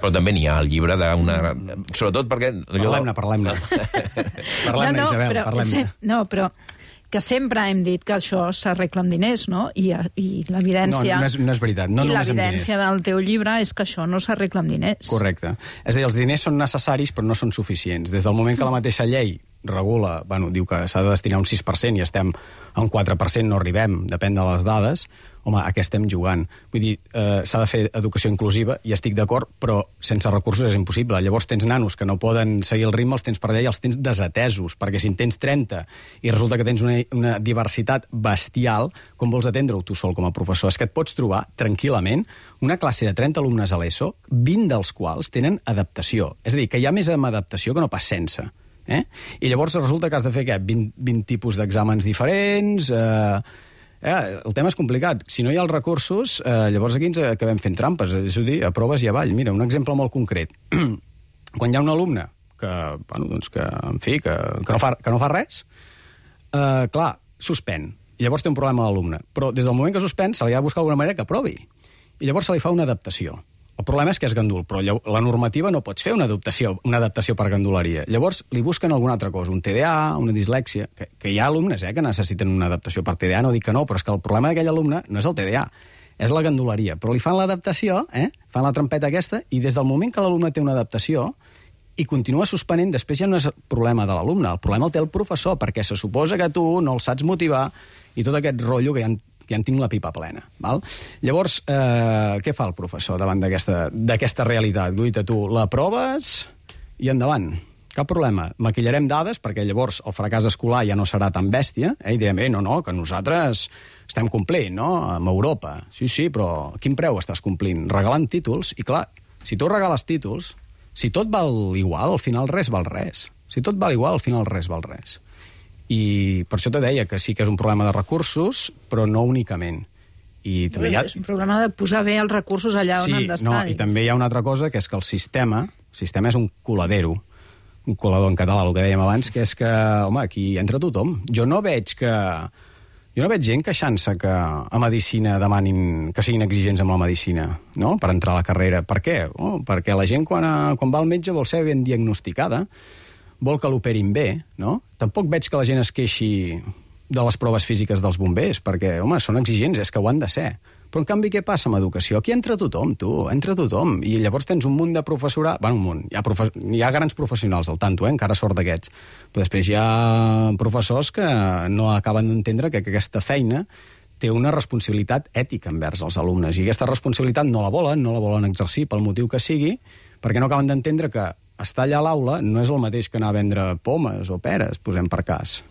Però també n'hi ha al llibre d'una... Sobretot perquè... Parlem-ne. Parlem-ne, Isabel, parlem-ne. No, però que sempre hem dit que això s'arregla amb diners, no? I l'evidència... No és veritat, no només amb diners. I l'evidència del teu llibre és que això no s'arregla amb diners. Correcte. És a dir, els diners són necessaris però no són suficients. Des del moment que la mateixa llei regula, diu que s'ha de destinar un 6% i estem a un 4%, no arribem, depèn de les dades, home, a què estem jugant? Vull dir, s'ha de fer educació inclusiva, i estic d'acord, però sense recursos és impossible. Llavors tens nanos que no poden seguir el ritme, els tens per allà i els tens desatesos, perquè si en tens 30 i resulta que tens una diversitat bestial, com vols atendre-ho tu sol com a professor? És que et pots trobar tranquil·lament una classe de 30 alumnes a l'ESO, 20 dels quals tenen adaptació. És a dir, que hi ha més amb adaptació que no pas sense. I llavors resulta que has de fer 20 tipus d'exàmens diferents. El tema és complicat. Si no hi ha els recursos, llavors aquí ens acabem fent trampes, és a dir, a proves i avall. Mira, un exemple molt concret. Quan hi ha un alumne que no fa res, clar, suspèn. I llavors té un problema a l'alumne. Però des del moment que suspèn se li ha de buscar alguna manera que aprovi. I llavors se li fa una adaptació. El problema és que és gandul, però la normativa no pots fer una adaptació per ganduleria. Llavors li busquen alguna altra cosa, un TDA, una dislèxia, que hi ha alumnes que necessiten una adaptació per TDA, no dic que no, però és que el problema d'aquell alumne no és el TDA, és la ganduleria. Però li fan l'adaptació, fan la trampeta aquesta, i des del moment que l'alumne té una adaptació i continua suspenent, després ja no és el problema de l'alumne, el problema el té el professor, perquè se suposa que tu no el saps motivar i tot aquest rotllo que ja en tinc la pipa plena. Val? Llavors, què fa el professor davant d'aquesta realitat? Guaita, tu l'aproves i endavant. Cap problema. Maquillarem dades perquè llavors el fracàs escolar ja no serà tan bèstia i direm, no, que nosaltres estem complint, no? Amb Europa. Sí, però a quin preu estàs complint? Regalant títols. I clar, si tu regales títols, si tot val igual, al final res val res. Si tot val igual, al final res val res. I per això te deia que sí que és un problema de recursos, però no únicament. És un problema de posar bé els recursos allà on han d'estar. I també hi ha una altra cosa, que és que el sistema és un coladero, un colador en català, el que dèiem abans, que és que, home, aquí entra tothom. Jo no veig gent queixant-se que a Medicina demanin que siguin exigents amb la Medicina, no?, per entrar a la carrera. Per què? Perquè la gent, quan va al metge, vol ser ben diagnosticada, vol que l'operin bé, no? Tampoc veig que la gent es queixi de les proves físiques dels bombers, perquè, home, són exigents, és que ho han de ser. Però, en canvi, què passa amb educació? Aquí entra tothom, entra tothom. I llavors tens un munt de professorat... Bueno, un munt. Hi ha grans professionals, al tanto, encara sort d'aquests. Però després hi ha professors que no acaben d'entendre que aquesta feina té una responsabilitat ètica envers els alumnes. I aquesta responsabilitat no la volen exercir pel motiu que sigui, perquè no acaben d'entendre que estar allà a l'aula no és el mateix que anar a vendre pomes o peres, posem per cas.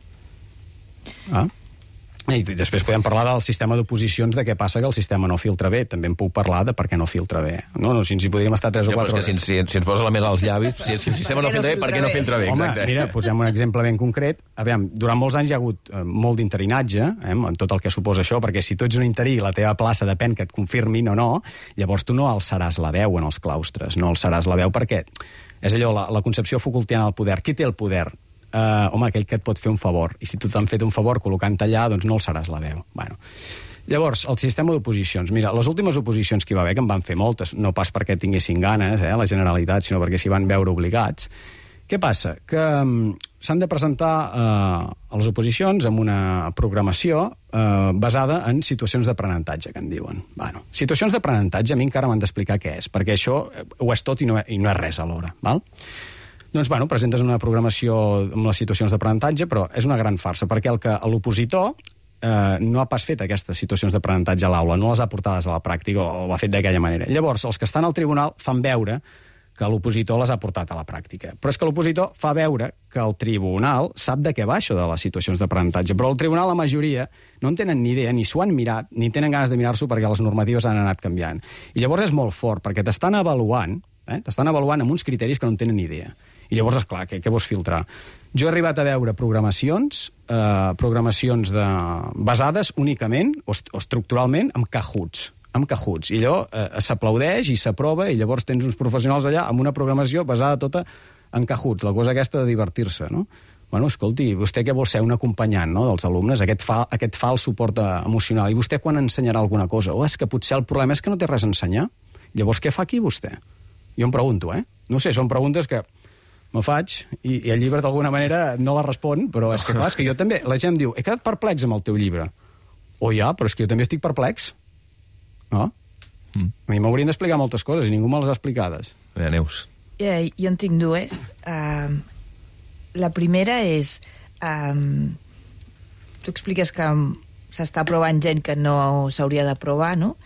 I després podem parlar del sistema d'oposicions, de què passa que el sistema no filtra bé. També en puc parlar de per què no filtra bé. No, si ens hi podríem estar 3 o 4 hores. Si ens posa la mel als llavis, si el sistema no filtra bé, per què no filtra bé? Home, mira, posem un exemple ben concret. Aviam, durant molts anys hi ha hagut molt d'interinatge, en tot el que suposa això, perquè si tu ets un interí i la teva plaça depèn que et confirmin o no, llavors tu no alçaràs la veu en els claustres, no alçaràs la veu perquè és allò, la concepció Foucaultiana del poder. Qui té el poder? Home, aquell que et pot fer un favor. I si tu t'han fet un favor col·locant allà, doncs no alçaràs la veu. Bueno. Llavors, el sistema d'oposicions. Mira, les últimes oposicions que hi va haver, que en van fer moltes, no pas perquè tinguessin ganes, la Generalitat, sinó perquè s'hi van veure obligats. Què passa? Que s'han de presentar a les oposicions amb una programació basada en situacions d'aprenentatge, que en diuen. Bueno, situacions d'aprenentatge a mi encara m'han d'explicar què és, perquè això ho és tot i no és res alhora, val? Doncs, bueno, presentes una programació amb les situacions d'aprenentatge, però és una gran farsa, perquè l'opositor no ha pas fet aquestes situacions d'aprenentatge a l'aula, no les ha portades a la pràctica o ho ha fet d'aquella manera. Llavors, els que estan al tribunal fan veure que l'opositor les ha portat a la pràctica. Però és que l'opositor fa veure que el tribunal sap de què va això de les situacions d'aprenentatge, però el tribunal, la majoria, no en tenen ni idea, ni s'ho han mirat, ni tenen ganes de mirar-s'ho perquè les normatives han anat canviant. I llavors és molt fort, perquè t'estan avaluant amb uns criteris que no en tenen ni idea. I llavors, esclar, què vols filtrar? Jo he arribat a veure programacions basades únicament o estructuralment en Cahoots. I allò s'aplaudeix i s'aprova i llavors tens uns professionals allà amb una programació basada tota en Cahoots, la cosa aquesta de divertir-se, no? Bueno, escolti, vostè què vol ser? Un acompanyant, no?, dels alumnes, aquest fa el suport emocional. I vostè quan ensenyarà alguna cosa? És que potser el problema és que no té res a ensenyar. Llavors, què fa aquí vostè? Jo em pregunto, No sé, són preguntes que me faig i el llibre d'alguna manera no la respon, però és que clar, és que jo també... La gent diu, he quedat perplex amb el teu llibre. Però és que jo també estic perplex. No? A mi m'haurien d'explicar moltes coses i ningú me les ha explicades. Neus. Jo en tinc dues. La primera és... tu expliques que s'està aprovant gent que no s'hauria d'aprovar, no?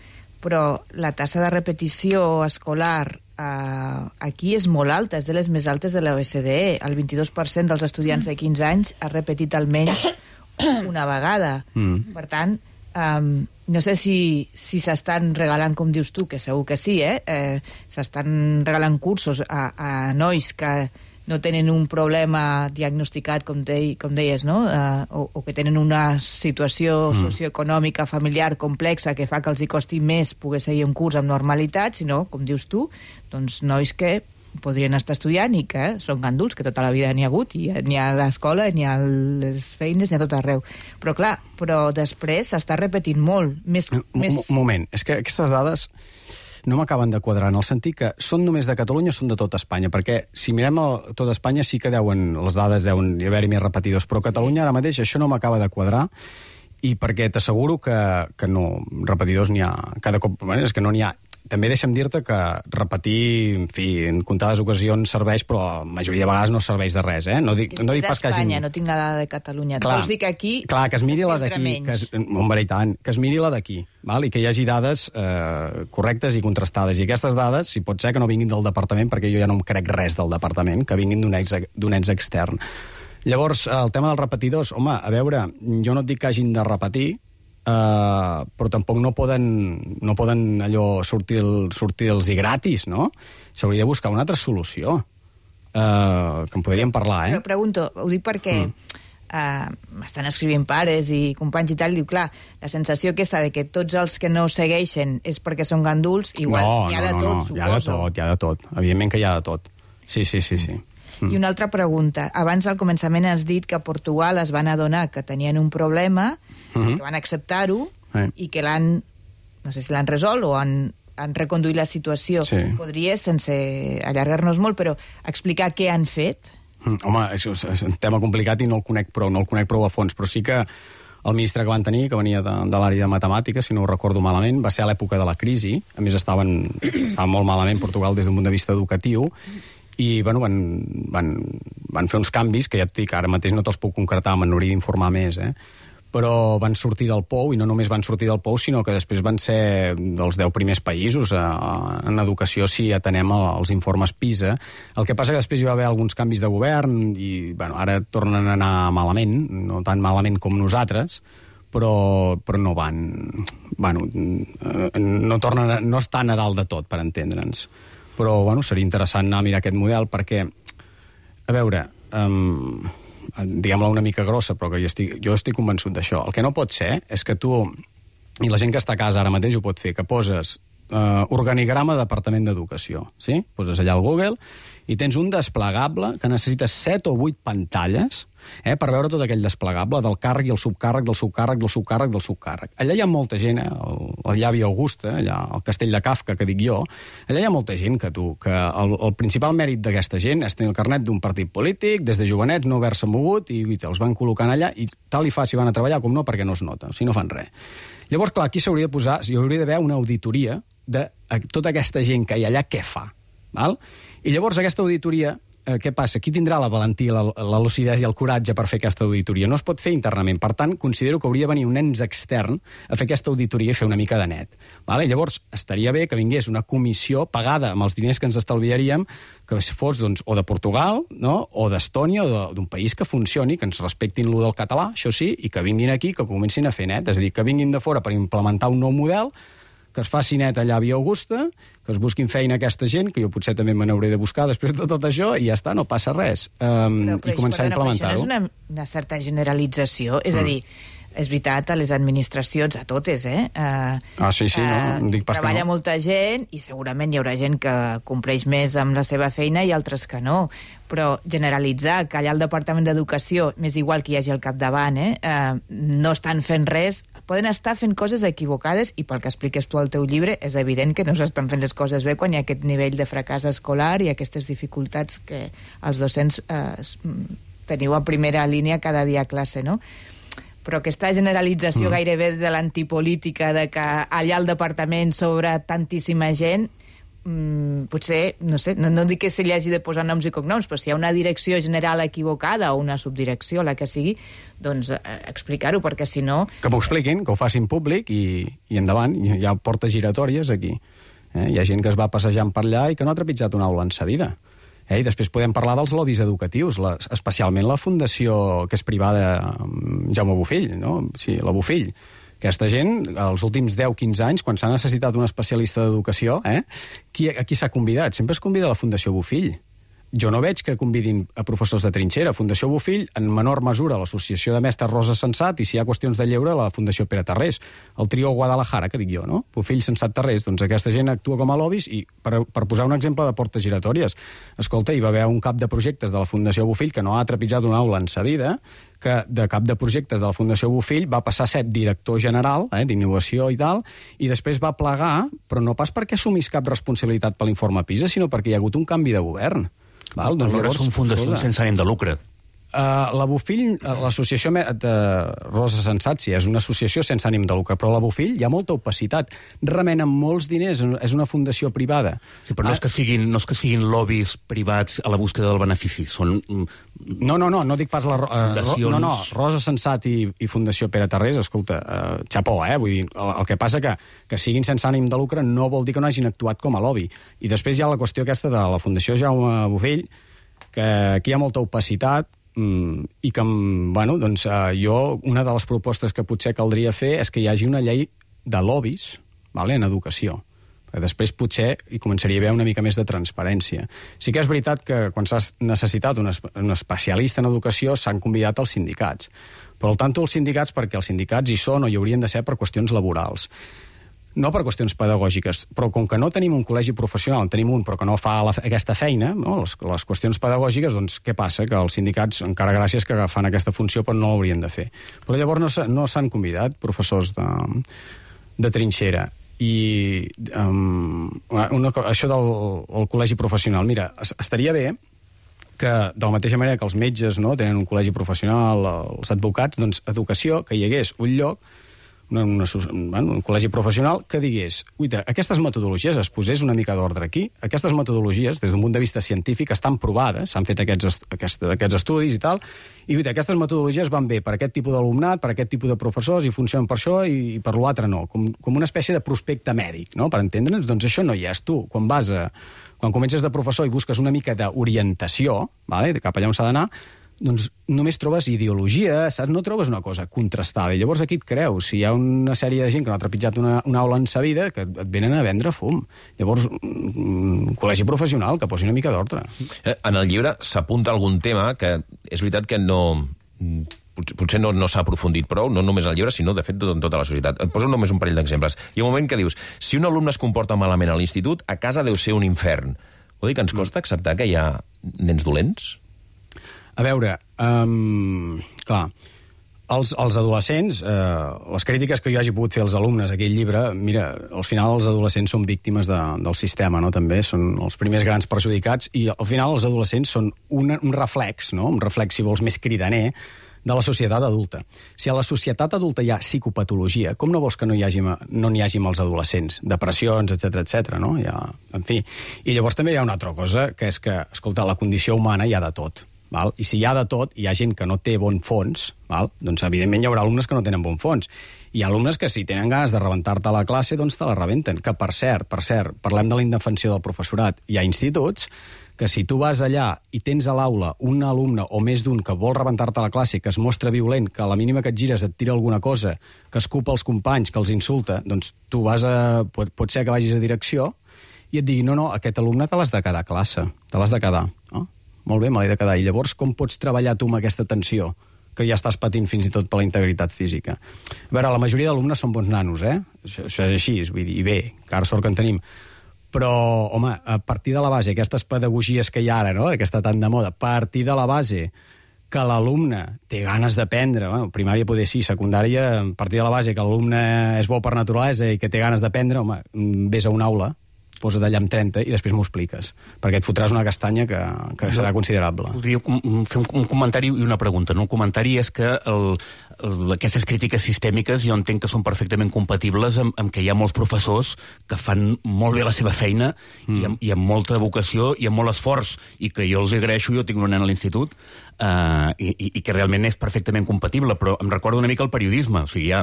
Però la tassa de repetició escolar aquí és molt alta, és de les més altes de la OCDE. El 22% dels estudiants de 15 anys ha repetit almenys una vegada. Per tant, no sé si s'estan regalant, com dius tu, que segur que sí, s'estan regalant cursos a nois que no tenen un problema diagnosticat, com deies, no? O que tenen una situació socioeconòmica familiar complexa que fa que els hi costi més poder seguir un curs amb normalitat, sinó, com dius tu, doncs nois que podrien estar estudiant i que són ganduls, que tota la vida n'hi ha hagut, i ni a l'escola, ni a les feines, ni a tot arreu. Però clar, després s'està repetint molt. Un moment, és que aquestes dades no m'acaben de quadrar, en el sentit que són només de Catalunya o són de tota Espanya, perquè si mirem tota Espanya sí que les dades deuen haver-hi més repetidors, però a Catalunya ara mateix això no m'acaba de quadrar, i perquè t'asseguro que no, repetidors n'hi ha cada cop, és que no n'hi ha. També deixa'm dir-te que repetir, en fi, en comptades ocasions serveix, però la majoria de vegades no serveix de res, No dic pas que Espanya, no tinc la dada de Catalunya. Clar, vols dir que aquí... Clar, que es miri la d'aquí, que es miri la d'aquí, i que hi hagi dades correctes i contrastades. I aquestes dades, si pot ser que no vinguin del departament, perquè jo ja no em crec res del departament, que vinguin d'un ens extern. Llavors, el tema dels repetidors, home, a veure, jo no et dic que hagin de repetir, però tampoc no poden allò sortir els i gratis, no? S'hauria de buscar una altra solució, que en podríem parlar, Però pregunto, ho dic perquè m'estan escrivint pares i companys i tal, diu, clar, la sensació aquesta de que tots els que no segueixen és perquè són ganduls, igual hi ha de tot, suposo. Hi ha de tot, evidentment que hi ha de tot. Sí. I una altra pregunta. Abans, al començament, has dit que a Portugal es van adonar que tenien un problema, que van acceptar-ho, i que no sé si l'han resolt o han reconduït la situació. Sí. Podries, sense allargar-nos molt, però explicar què han fet? Home, és un tema complicat i no el conec prou a fons, però sí que El ministre que van tenir, que venia de l'àrea de matemàtiques, si no ho recordo malament, va ser a l'època de la crisi. A més, estaven molt malament Portugal des d'un punt de vista educatiu, i bueno, van fer uns canvis que ja et dic, ara mateix no te'ls puc concretar, m'hauria d'informar més, però van sortir del POU, i no només van sortir del POU, sinó que després van ser dels 10 primers països en educació si atenem els informes PISA. El que passa que després hi va haver alguns canvis de govern i bueno, ara tornen a anar malament, no tan malament com nosaltres, però no van... Bueno, no estan a dalt de tot, per entendre'ns. Però bueno, seria interessant anar a mirar aquest model perquè, a veure... diguem-la una mica grossa, però que jo estic convençut d'això. El que no pot ser és que tu, i la gent que està a casa ara mateix ho pot fer, que poses organigrama Departament d'Educació, sí? Poses allà al Google i tens un desplegable que necessites 7 o 8 pantalles per veure tot aquell desplegable del càrrec i el subcàrrec, del subcàrrec, del subcàrrec, del subcàrrec. Allà hi ha molta gent, el llavi Augusta, allà al castell de Kafka, que dic jo, allà hi ha molta gent que el principal mèrit d'aquesta gent és tenir el carnet d'un partit polític, des de jovenets no haver-se mogut, i els van col·locant allà, i tal i fa si van a treballar com no, perquè no es nota, si no fan res. Llavors, clar, aquí s'hauria de posar, hi hauria d'haver una auditoria de tota aquesta gent que hi ha allà, què fa, val? I llavors aquesta auditoria, què passa? Qui tindrà la valentia, la lucidesa i el coratge per fer aquesta auditoria? No es pot fer internament. Per tant, considero que hauria de venir un ens extern a fer aquesta auditoria i fer una mica de net. Vale? Llavors, estaria bé que vingués una comissió pagada amb els diners que ens estalviaríem, que fos doncs, o de Portugal, no? O d'Estònia, o d'un país que funcioni, que ens respectin lo del català, això sí, i que vinguin aquí, que comencin a fer net. És a dir, que vinguin de fora per implementar un nou model, que es faci net allà a Via Augusta, que es busquin feina aquesta gent, que jo potser també me n'hauré de buscar després de tot això, i ja està, no passa res. I començar a implementar-ho. Però això no és una certa generalització, és a dir, és veritat, a les administracions, a totes, sí, no dic pas treballa que no. molta gent i segurament hi haurà gent que compleix més amb la seva feina i altres que no. Però generalitzar que allà al Departament d'Educació, m'és igual que hi hagi al capdavant, no estan fent res, poden estar fent coses equivocades i pel que expliques tu al teu llibre és evident que no s'estan fent les coses bé quan hi ha aquest nivell de fracàs escolar i aquestes dificultats que els docents teniu a primera línia cada dia a classe, no? Però aquesta generalització gairebé de l'antipolítica, de que allà al departament sobre tantíssima gent, potser, no sé, no dic que se li hagi de posar noms i cognoms, però si hi ha una direcció general equivocada o una subdirecció, la que sigui, doncs explicar-ho, perquè si no... Que m'ho expliquin, que ho facin públic i endavant, hi ha portes giratòries aquí. Hi ha gent que es va passejant per allà i que no ha trepitjat una aula en sa vida. I després podem parlar dels lobbies educatius, especialment la fundació que és privada Jaume Bofill, no? Sí, la Bofill. Aquesta gent, els últims 10-15 anys, quan s'ha necessitat un especialista d'educació, a qui s'ha convidat? Sempre es convida a la Fundació Bofill. Jo no veig que convidin a professors de trinxera. Fundació Bofill, en menor mesura, l'Associació de Mestres Rosa Sensat, i si hi ha qüestions de lleure, la Fundació Pere Tarrés. El trio Guadalajara, que dic jo, no? Bofill, Sensat, Tarrés. Doncs aquesta gent actua com a lobbies i, per posar un exemple de portes giratòries, escolta, hi va haver un cap de projectes de la Fundació Bofill que no ha trepitjat una aula en sa vida, que de cap de projectes de la Fundació Bofill va passar a ser director general d'innovació i tal, i després va plegar, però no pas perquè assumís cap responsabilitat per l'informe PISA, sinó perquè hi ha hagut un canvi de govern. Val? Doncs llavors són fundacions sense ànim de lucre. La Bofill, l'associació de Rosa Sensat, sí, és una associació sense ànim de lucre, però la Bofill hi ha molta opacitat. Remenen molts diners, és una fundació privada. Sí, però no és que siguin lobbies privats a la búsqueda del benefici, són... No dic pas Rosa Sensat i Fundació Pere Tarrés, escolta, xapó, vull dir, el que passa que siguin sense ànim de lucre no vol dir que no hagin actuat com a lobby. I després hi ha la qüestió aquesta de la Fundació Jaume Bofill, que aquí hi ha molta opacitat, i que, bueno, doncs jo, una de les propostes que potser caldria fer és que hi hagi una llei de lobbies, en educació. Després potser hi començaria a haver una mica més de transparència. Sí que és veritat que quan s'ha necessitat un especialista en educació s'han convidat els sindicats. Però al tanto els sindicats, perquè els sindicats hi són o hi haurien de ser per qüestions laborals. No per qüestions pedagògiques, però com que no tenim un col·legi professional, en tenim un però que no fa aquesta feina, no? Les qüestions pedagògiques, doncs què passa? Que els sindicats, encara gràcies que fan aquesta funció, però no l'haurien de fer. Però llavors no s'han convidat professors de trinxera. I això del col·legi professional, mira, estaria bé que de la mateixa manera que els metges tenen un col·legi professional, els advocats, doncs educació, que hi hagués un lloc, un col·legi professional que digués, uita, aquestes metodologies, es posés una mica d'ordre aquí, aquestes metodologies, des d'un punt de vista científic, estan provades, s'han fet aquests estudis i tal, i uita, aquestes metodologies van bé per aquest tipus d'alumnat, per aquest tipus de professors, i funcionen per això i per l'altre no, com una espècie de prospecte mèdic, no? Per entendre'ns, doncs això no hi és. Tu, quan comences de professor i busques una mica d'orientació, vale, cap allà on s'ha d'anar, doncs només trobes ideologia, saps? No trobes una cosa contrastada. I llavors aquí et creus, si hi ha una sèrie de gent que no ha trepitjat una aula en sa vida, que et venen a vendre fum. Llavors, un col·legi professional que posi una mica d'ordre. En el llibre s'apunta algun tema que és veritat que potser no s'ha aprofundit prou, no només al llibre, sinó, de fet, en tota la societat. Et poso només un parell d'exemples. Hi ha un moment que dius, si un alumne es comporta malament a l'institut, a casa deu ser un infern. Vol dir que ens costa acceptar que hi ha nens dolents? A veure, clar, els adolescents, les crítiques que jo hagi pogut fer als alumnes d'aquell llibre, mira, al final els adolescents són víctimes del sistema, no? També són els primers grans perjudicats, i al final els adolescents són un reflex, no? Un reflex, si vols, més cridaner, de la societat adulta. Si a la societat adulta hi ha psicopatologia, com no vols que no n'hi hagi amb els adolescents? Depressions, etc, no? En fi. I llavors també hi ha una altra cosa, que és que, escolta, la condició humana hi ha de tot. Val? I si hi ha de tot, hi ha gent que no té bon fons, val? Doncs evidentment hi haurà alumnes que no tenen bon fons. Hi ha alumnes que si tenen ganes de rebentar-te a la classe, doncs te la rebenten. Que per cert, parlem de la indefensió del professorat. Hi ha instituts que si tu vas allà i tens a l'aula un alumne o més d'un que vol rebentar-te a la classe, que es mostra violent, que a la mínima que et gires et tira alguna cosa, que escupa els companys, que els insulta, doncs tu pot ser que vagis a direcció i et digui, no, aquest alumne te l'has de quedar a classe, te l'has de quedar. Oh, molt bé, me l'he de quedar. I llavors com pots treballar tu amb aquesta tensió que ja estàs patint fins i tot per la integritat física? A veure, la majoria d'alumnes són bons nanos, Això és així, vull dir, i bé, que ara sort que en tenim. Però, home, a partir de la base, aquestes pedagogies que hi ha ara, no?, que està tan de moda, a partir de la base que l'alumne té ganes d'aprendre, primària poder sí, secundària, a partir de la base que l'alumne és bo per naturalesa i que té ganes d'aprendre, home, vés a una aula, posa't allà amb 30 i després m'ho expliques, perquè et fotràs una castanya que serà considerable. Voldria fer un comentari i una pregunta. El comentari és que aquestes crítiques sistèmiques jo entenc que són perfectament compatibles amb que hi ha molts professors que fan molt bé la seva feina i amb molta vocació i amb molt esforç, i que jo els agraeixo, jo tinc una nena a l'institut, i que realment és perfectament compatible, però em recorda una mica el periodisme. O sigui, hi ha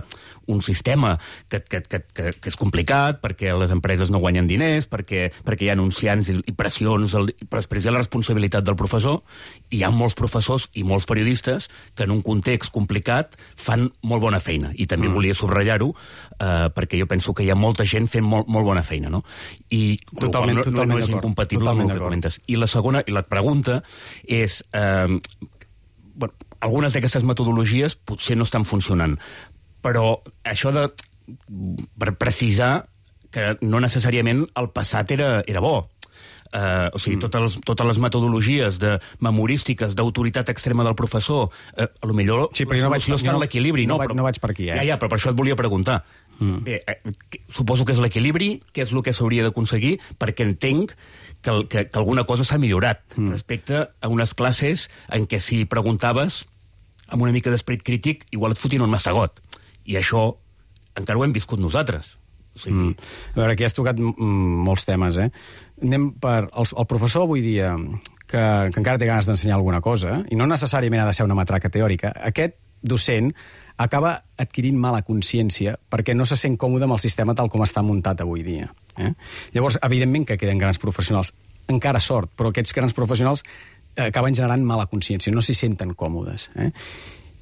un sistema que és complicat perquè les empreses no guanyen diners, perquè hi ha anunciants i pressions, però després hi ha la responsabilitat del professor, i hi ha molts professors i molts periodistes que en un context complicat fan molt bona feina, i també volia subratllar-ho, perquè jo penso que hi ha molta gent fent molt bona feina, no? I totalment no és incompatible amb el que comentes. I la segona, i la pregunta és, algunes d'aquestes metodologies potser no estan funcionant, però això per precisar que no necessàriament el passat era bo. O sigui, totes les metodologies memorístiques d'autoritat extrema del professor, potser la solució està en l'equilibri. No vaig per aquí, Ja, però per això et volia preguntar. Bé, suposo que és l'equilibri, què és el que s'hauria d'aconseguir, perquè entenc que alguna cosa s'ha millorat respecte a unes classes en què si preguntaves amb una mica d'esperit crític, igual et fotien un mastegot. I això encara ho hem viscut nosaltres. O sigui... A veure, aquí has tocat molts temes, Anem per... El professor avui dia que encara té ganes d'ensenyar alguna cosa, i no necessàriament ha de ser una matraca teòrica, aquest docent acaba adquirint mala consciència perquè no se sent còmode amb el sistema tal com està muntat avui dia. Llavors, evidentment que queden grans professionals, encara sort, però aquests grans professionals acaben generant mala consciència, no s'hi senten còmodes.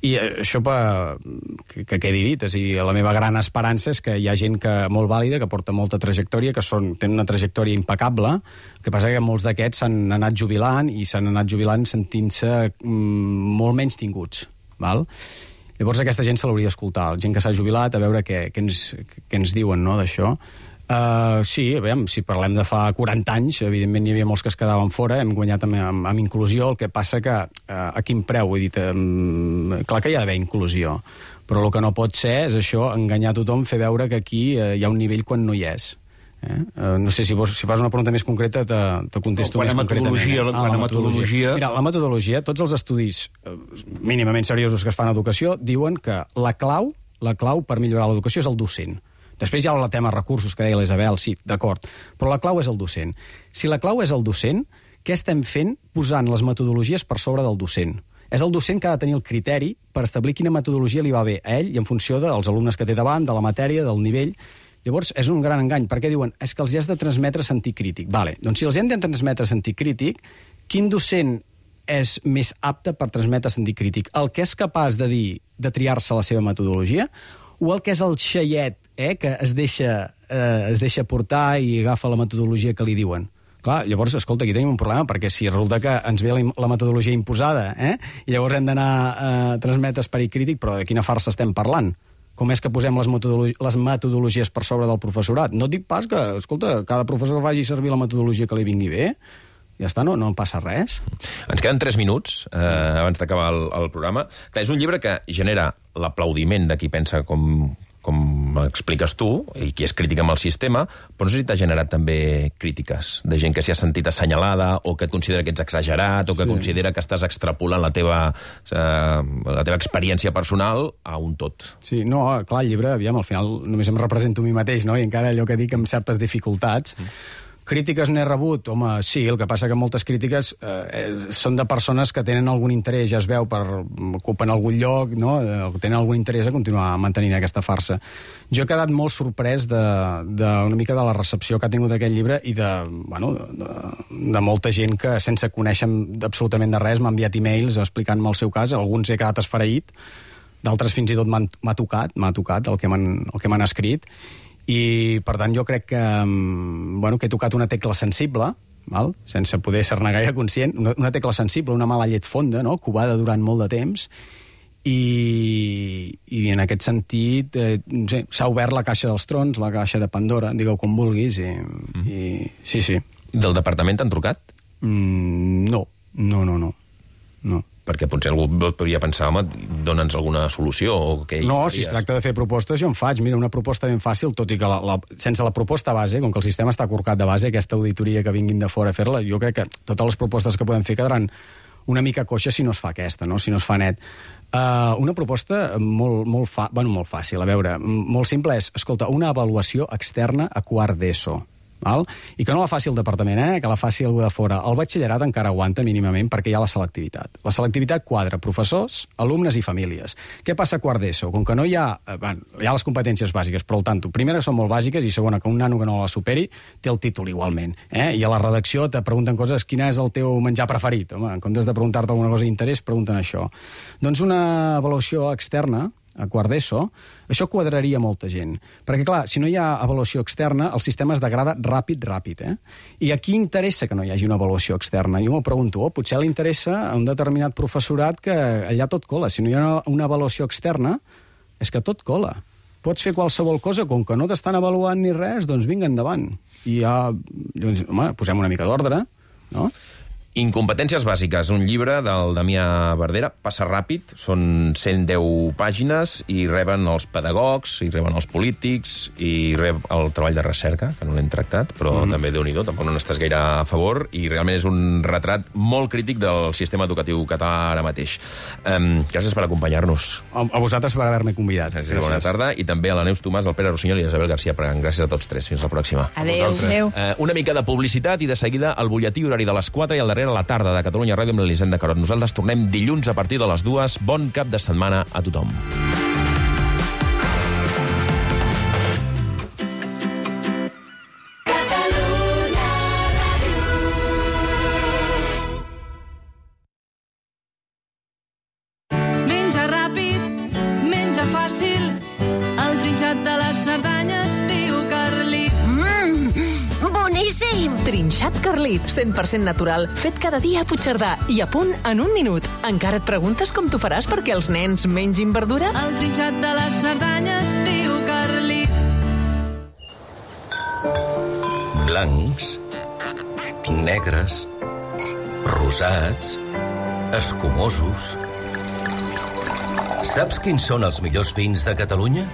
I això que quedi dit, és a dir, la meva gran esperança és que hi ha gent molt vàlida, que porta molta trajectòria, que tenen una trajectòria impecable, el que passa que molts d'aquests s'han anat jubilant i s'han anat jubilant sentint-se molt menys tinguts, val? Llavors aquesta gent se l'hauria d'escoltar, gent que s'ha jubilat, a veure què ens diuen, no, d'això. Sí, aviam, si parlem de fa 40 anys, evidentment hi havia molts que es quedaven fora, hem guanyat amb inclusió, el que passa que a quin preu, vull dir, clar que hi ha d'haver inclusió, però el que no pot ser és això, enganyar tothom, fer veure que aquí hi ha un nivell quan no hi és. No sé si fas una pregunta més concreta, te contesto més concretament. Quant a metodologia... Mira, la metodologia, tots els estudis mínimament seriosos que es fan a educació diuen que la clau per millorar l'educació és el docent. Després hi ha el tema recursos, que deia l'Isabel, sí, d'acord, però la clau és el docent. Si la clau és el docent, què estem fent posant les metodologies per sobre del docent? És el docent que ha de tenir el criteri per establir quina metodologia li va bé a ell i en funció dels alumnes que té davant, de la matèria, del nivell. Llavors, és un gran engany, perquè diuen és que els has de transmetre sentit crític. Vale, doncs si els hem de transmetre sentit crític, quin docent és més apte per transmetre sentit crític? El que és capaç de dir, de triar-se la seva metodologia, o el que és el xaiet, que es deixa portar i agafa la metodologia que li diuen? Clar, llavors, escolta, aquí tenim un problema, perquè si resulta que ens ve la metodologia imposada, i llavors hem d'anar a transmetre esperit crític, però de quina farsa estem parlant? Com és que posem les metodologies per sobre del professorat? No et dic pas que, escolta, cada professor que faci servir la metodologia que li vingui bé, ja està, no passa res. Ens queden 3 minuts abans d'acabar el programa. Clar, és un llibre que genera l'aplaudiment de qui pensa com expliques tu, i qui és crític amb el sistema, però no sé si t'ha generat també crítiques de gent que s'hi ha sentit assenyalada o que et considera que ets exagerat o que considera que estàs extrapolant la teva experiència personal a un tot. Sí, no, clar, el llibre, aviam, al final només em represento a mi mateix, no? I encara allò que dic amb certes dificultats. Crítiques n'he rebut? Home, sí, el que passa que moltes crítiques són de persones que tenen algun interès, ja es veu, ocupen algun lloc, no? Tenen algun interès a continuar mantenint aquesta farsa. Jo he quedat molt sorprès una mica de la recepció que ha tingut aquest llibre i de molta gent que, sense conèixer absolutament de res, m'ha enviat e-mails explicant-me el seu cas. Alguns he quedat esfereït, d'altres fins i tot m'ha tocat el que m'han escrit. I, per tant, jo crec que he tocat una tecla sensible, sense poder ser-ne gaire conscient, una tecla sensible, una mala llet fonda, no? Covada durant molt de temps, i en aquest sentit s'ha obert la caixa dels trons, la caixa de Pandora, digueu com vulguis, i sí. Del departament t'han trucat? No. Perquè potser algú podria pensar, home, dona'ns alguna solució. No, si es tracta de fer propostes, jo en faig. Mira, una proposta ben fàcil, tot i que sense la proposta base, com que el sistema està corcat de base, aquesta auditoria que vinguin de fora a fer-la, jo crec que totes les propostes que podem fer quedaran una mica coixa si no es fa aquesta, no? Si no es fa net. Una proposta molt fàcil, a veure, molt simple és, escolta, una avaluació externa a quart d'ESO. I que no la faci el departament, que la faci algú de fora. El batxillerat encara aguanta mínimament perquè hi ha la selectivitat. La selectivitat quadra professors, alumnes i famílies. Què passa a quart d'ESO? Com que no hi ha les competències bàsiques, però al tanto, primera són molt bàsiques i segona, que un nano que no la superi té el títol igualment. I a la redacció te pregunten coses, quin és el teu menjar preferit? Home, en comptes de preguntar-te alguna cosa d'interès, pregunten això. Doncs una avaluació externa a quart d'ESO, això quadraria molta gent. Perquè, clar, si no hi ha avaluació externa, el sistema es degrada ràpid. I a qui interessa que no hi hagi una avaluació externa? Jo m'ho pregunto, potser li interessa a un determinat professorat que allà tot cola. Si no hi ha una avaluació externa, és que tot cola. Pots fer qualsevol cosa, com que no t'estan avaluant ni res, doncs vinga endavant. I ja, doncs, home, posem una mica d'ordre, no? Incompetències bàsiques, un llibre del Damià Verdera, passa ràpid, són 110 pàgines i reben els pedagogs, i reben els polítics, i rep el treball de recerca, que no l'hem tractat, però també Déu-n'hi-do, tampoc no n'estàs gaire a favor, i realment és un retrat molt crític del sistema educatiu català ara mateix. Gràcies per acompanyar-nos. A vosaltres per haver-me convidat. Gràcies. Bona tarda, i també a la Neus Tomàs, al Pere Rossinyol i a Isabel García Pregant. Gràcies a tots tres. Fins la pròxima. Adéu. Una mica de publicitat i de seguida el butlletí horari de les 4 i el darrer a la tarda de Catalunya Ràdio amb l'Elisenda Carot. Nosaltres tornem dilluns a partir de les 2. Bon cap de setmana a tothom. Menja ràpid, menja fàcil, el trinxat de les Cerdanyes, tio Carlit. Boníssim! Trinxat Carlit, 100% natural, fet cada dia a Puigcerdà i a punt en un minut. Encara et preguntes com t'ho faràs perquè els nens mengin verdura? El trinxat de les Cerdanyes, tio Carlit. Blancs, negres, rosats, escumosos, Saps quins són els millors vins de Catalunya?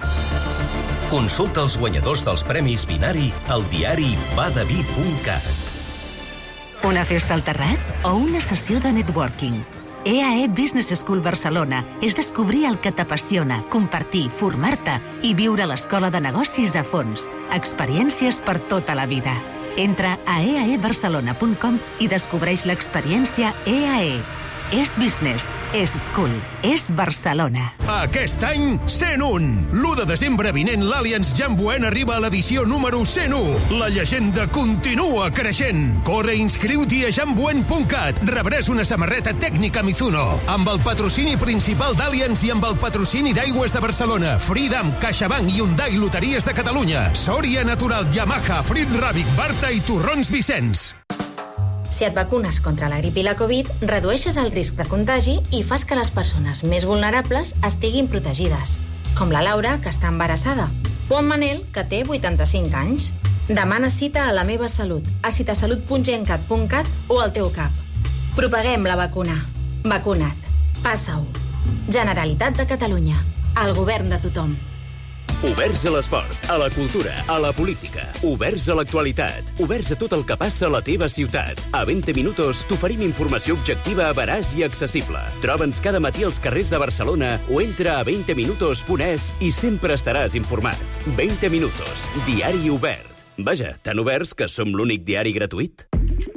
Consulta els guanyadors dels Premis Vinari al diari badavi.cat. Una festa al terrat o una sessió de networking? EAE Business School Barcelona és descobrir el que t'apassiona, compartir, formar-te i viure l'escola de negocis a fons. Experiències per tota la vida. Entra a eaebarcelona.com i descobreix l'experiència EAE. És business, és school, és Barcelona. Aquest any, 101! L'1 de desembre vinent, l'Allianz Jamboen arriba a l'edició número 101. La llegenda continua creixent. Corre i inscriu-t'hi a jamboen.cat. Rebràs una samarreta tècnica Mizuno, amb el patrocini principal d'Allianz i amb el patrocini d'Aigües de Barcelona, Freedom, CaixaBank, Hyundai, Loteries de Catalunya, Sòria Natural, Yamaha, Frit Ràbic, Barta i Torrons Vicenç. Si et vacunes contra la grip i la Covid, redueixes el risc de contagi i fas que les persones més vulnerables estiguin protegides, com la Laura, que està embarassada, o en Manel, que té 85 anys. Demana cita a La Meva Salut, a citasalut.gencat.cat o al teu CAP. Propaguem la vacuna. Vacuna't. Passa-ho. Generalitat de Catalunya. El govern de tothom. Oberts a l'esport, a la cultura, a la política. Oberts a l'actualitat. Oberts a tot el que passa a la teva ciutat. A 20 minuts t'oferim informació objectiva, veraç i accessible. Troba'ns cada matí als carrers de Barcelona o entra a 20minutos.es i sempre estaràs informat. 20 minutos, diari obert. Vaja, tan oberts que som l'únic diari gratuït.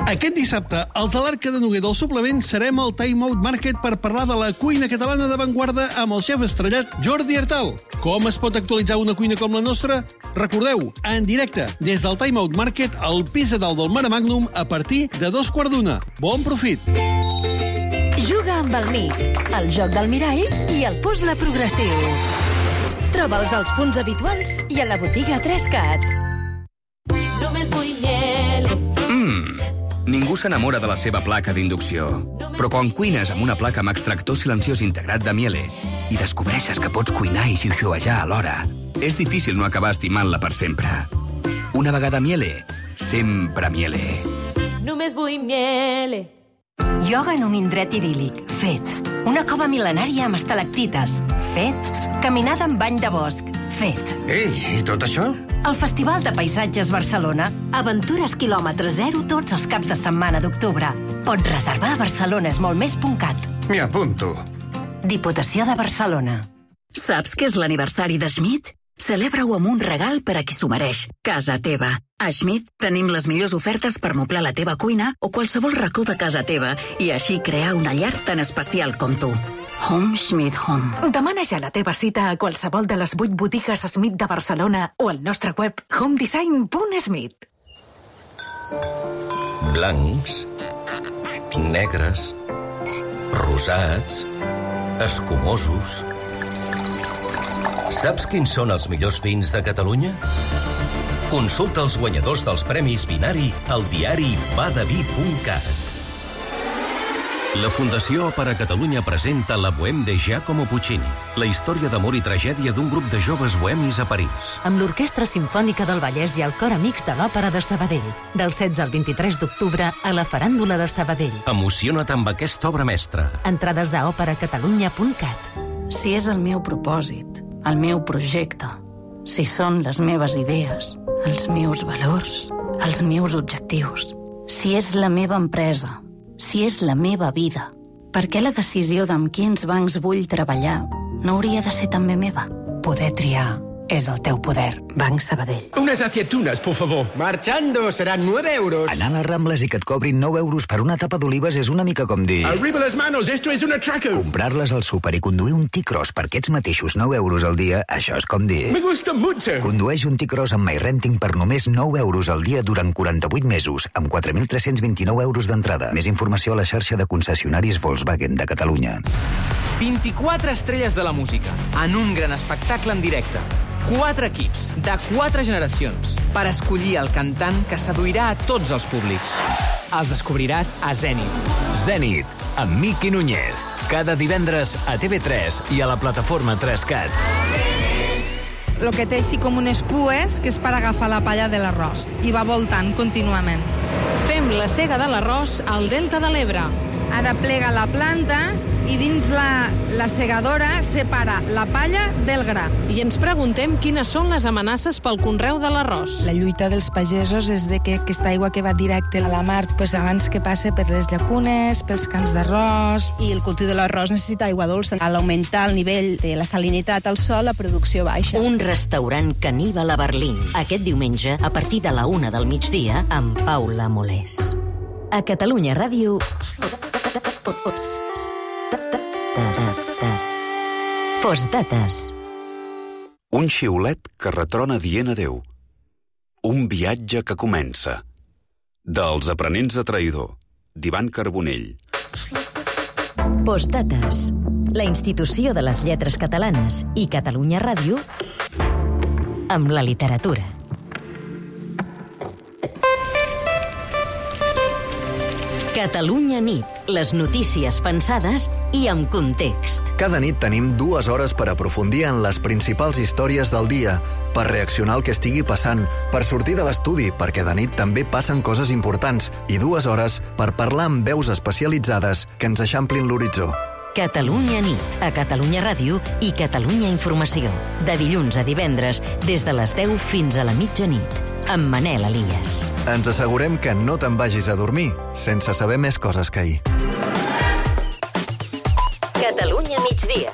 Aquest dissabte, als de l'Arca de Noguer del Suplement, serem al Time Out Market per parlar de la cuina catalana d'avantguarda amb el xef estrellat Jordi Artal. Com es pot actualitzar una cuina com la nostra? Recordeu, en directe, des del Time Out Market, al pis a dalt del Mare Magnum, a partir de 2:15. Bon profit! Juga amb el MIC, el joc del mirall i el puzzle progressiu. Troba'ls als punts habituals i a la botiga 3CAT. Només vull miel. Ningú s'enamora de la seva placa d'inducció. Però quan cuines amb una placa amb extractor silenciós integrat de Miele i descobreixes que pots cuinar i xiuxiuejar alhora, és difícil no acabar estimant-la per sempre. Una vegada Miele, sempre Miele. Només vull miel. Ioga en un indret idíl·lic, fet. Una cova mil·lenària amb estalactites, fet. Caminada amb bany de bosc, fet. Ei, i tot això? El Festival de Paisatges Barcelona. Aventures quilòmetre zero tots els caps de setmana d'octubre. Pots reservar a barcelonesmoltmés.cat. M'hi apunto. Diputació de Barcelona. Saps què és l'aniversari de Schmidt? Celebra-ho amb un regal per a qui s'ho mereix. Casa teva. A Schmidt tenim les millors ofertes per moblar la teva cuina o qualsevol racó de casa teva i així crear una llar tan especial com tu. Home Schmidt Home. Demana ja la teva cita a qualsevol de les 8 botigues Schmidt de Barcelona o al nostre web homedesign.schmidt. Blancs, negres, rosats, escumosos. Saps quins són els millors vins de Catalunya? Consulta els guanyadors dels Premis Vinari al diari badavi.cat. La Fundació Òpera Catalunya presenta La Bohème de Giacomo Puccini, la història d'amor i tragèdia d'un grup de joves bohemis a París. Amb l'Orquestra Simfònica del Vallès i el Cor Amics de l'Òpera de Sabadell. Del 16 al 23 d'octubre a la Faràndula de Sabadell. Emociona't amb aquesta obra mestra. Entrades a operacatalunya.cat. Si és el meu propòsit, el meu projecte, si són les meves idees, els meus valors, els meus objectius, si és la meva empresa, si és la meva vida, per què la decisió d'amb quins bancs vull treballar no hauria de ser també meva? Poder triar és el teu poder. Banc Sabadell. Unas aceitunas, por favor. Marchando, serán 9 euros. Anar a les Rambles i que et cobrin 9 euros per una tapa d'olives és una mica com dir... Arriba las manos, esto es un atraco. Comprar-les al súper i conduir un T-Cross per aquests mateixos 9 euros al dia, això és com dir... Me gusta mucho. Condueix un T-Cross amb MyRenting per només 9 euros al dia durant 48 mesos, amb 4.329 euros d'entrada. Més informació a la xarxa de concessionaris Volkswagen de Catalunya. 24 estrelles de la música, en un gran espectacle en directe. 4 equips, de 4 generacions, per escollir el cantant que seduirà a tots els públics. Els descobriràs a Zenit. Zenit, amb Miqui Núñez. Cada divendres a TV3 i a la plataforma 3CAT. Lo que té així com unes pues, que és per agafar la palla de l'arròs, i va voltant contínuament. Fem la sega de l'arròs al Delta de l'Ebre. Ara plega la planta i dins la segadora separa la palla del gra. I ens preguntem quines són les amenaces pel conreu de l'arròs. La lluita dels pagesos és de que aquesta aigua que va directe a la mar, abans que passe per les llacunes, pels camps d'arròs. I el cultiu de l'arròs necessita aigua dolça. A l'augmentar el nivell de la salinitat al sol, la producció baixa. Un restaurant caníbal a Berlín. Aquest diumenge, a partir de la 1 del migdia, amb Paula Molés. A Catalunya Ràdio... Postdates. Un xiulet que retrona dient adeu. Un viatge que comença. Dels aprenents de traïdor, d'Ivan Carbonell. Postdates. La institució de les lletres catalanes i Catalunya Ràdio amb la literatura. Catalunya nit. Les notícies pensades i amb context. Cada nit tenim 2 hores per aprofundir en les principals històries del dia, per reaccionar al que estigui passant, per sortir de l'estudi, perquè de nit també passen coses importants, i 2 hores per parlar amb veus especialitzades que ens eixamplin l'horitzó. Catalunya nit, a Catalunya Ràdio i Catalunya Informació. De dilluns a divendres, des de les 10 fins a la mitjanit, amb Manel Elias. Ens assegurem que no te'n vagis a dormir sense saber més coses que ahir. Catalunya migdia.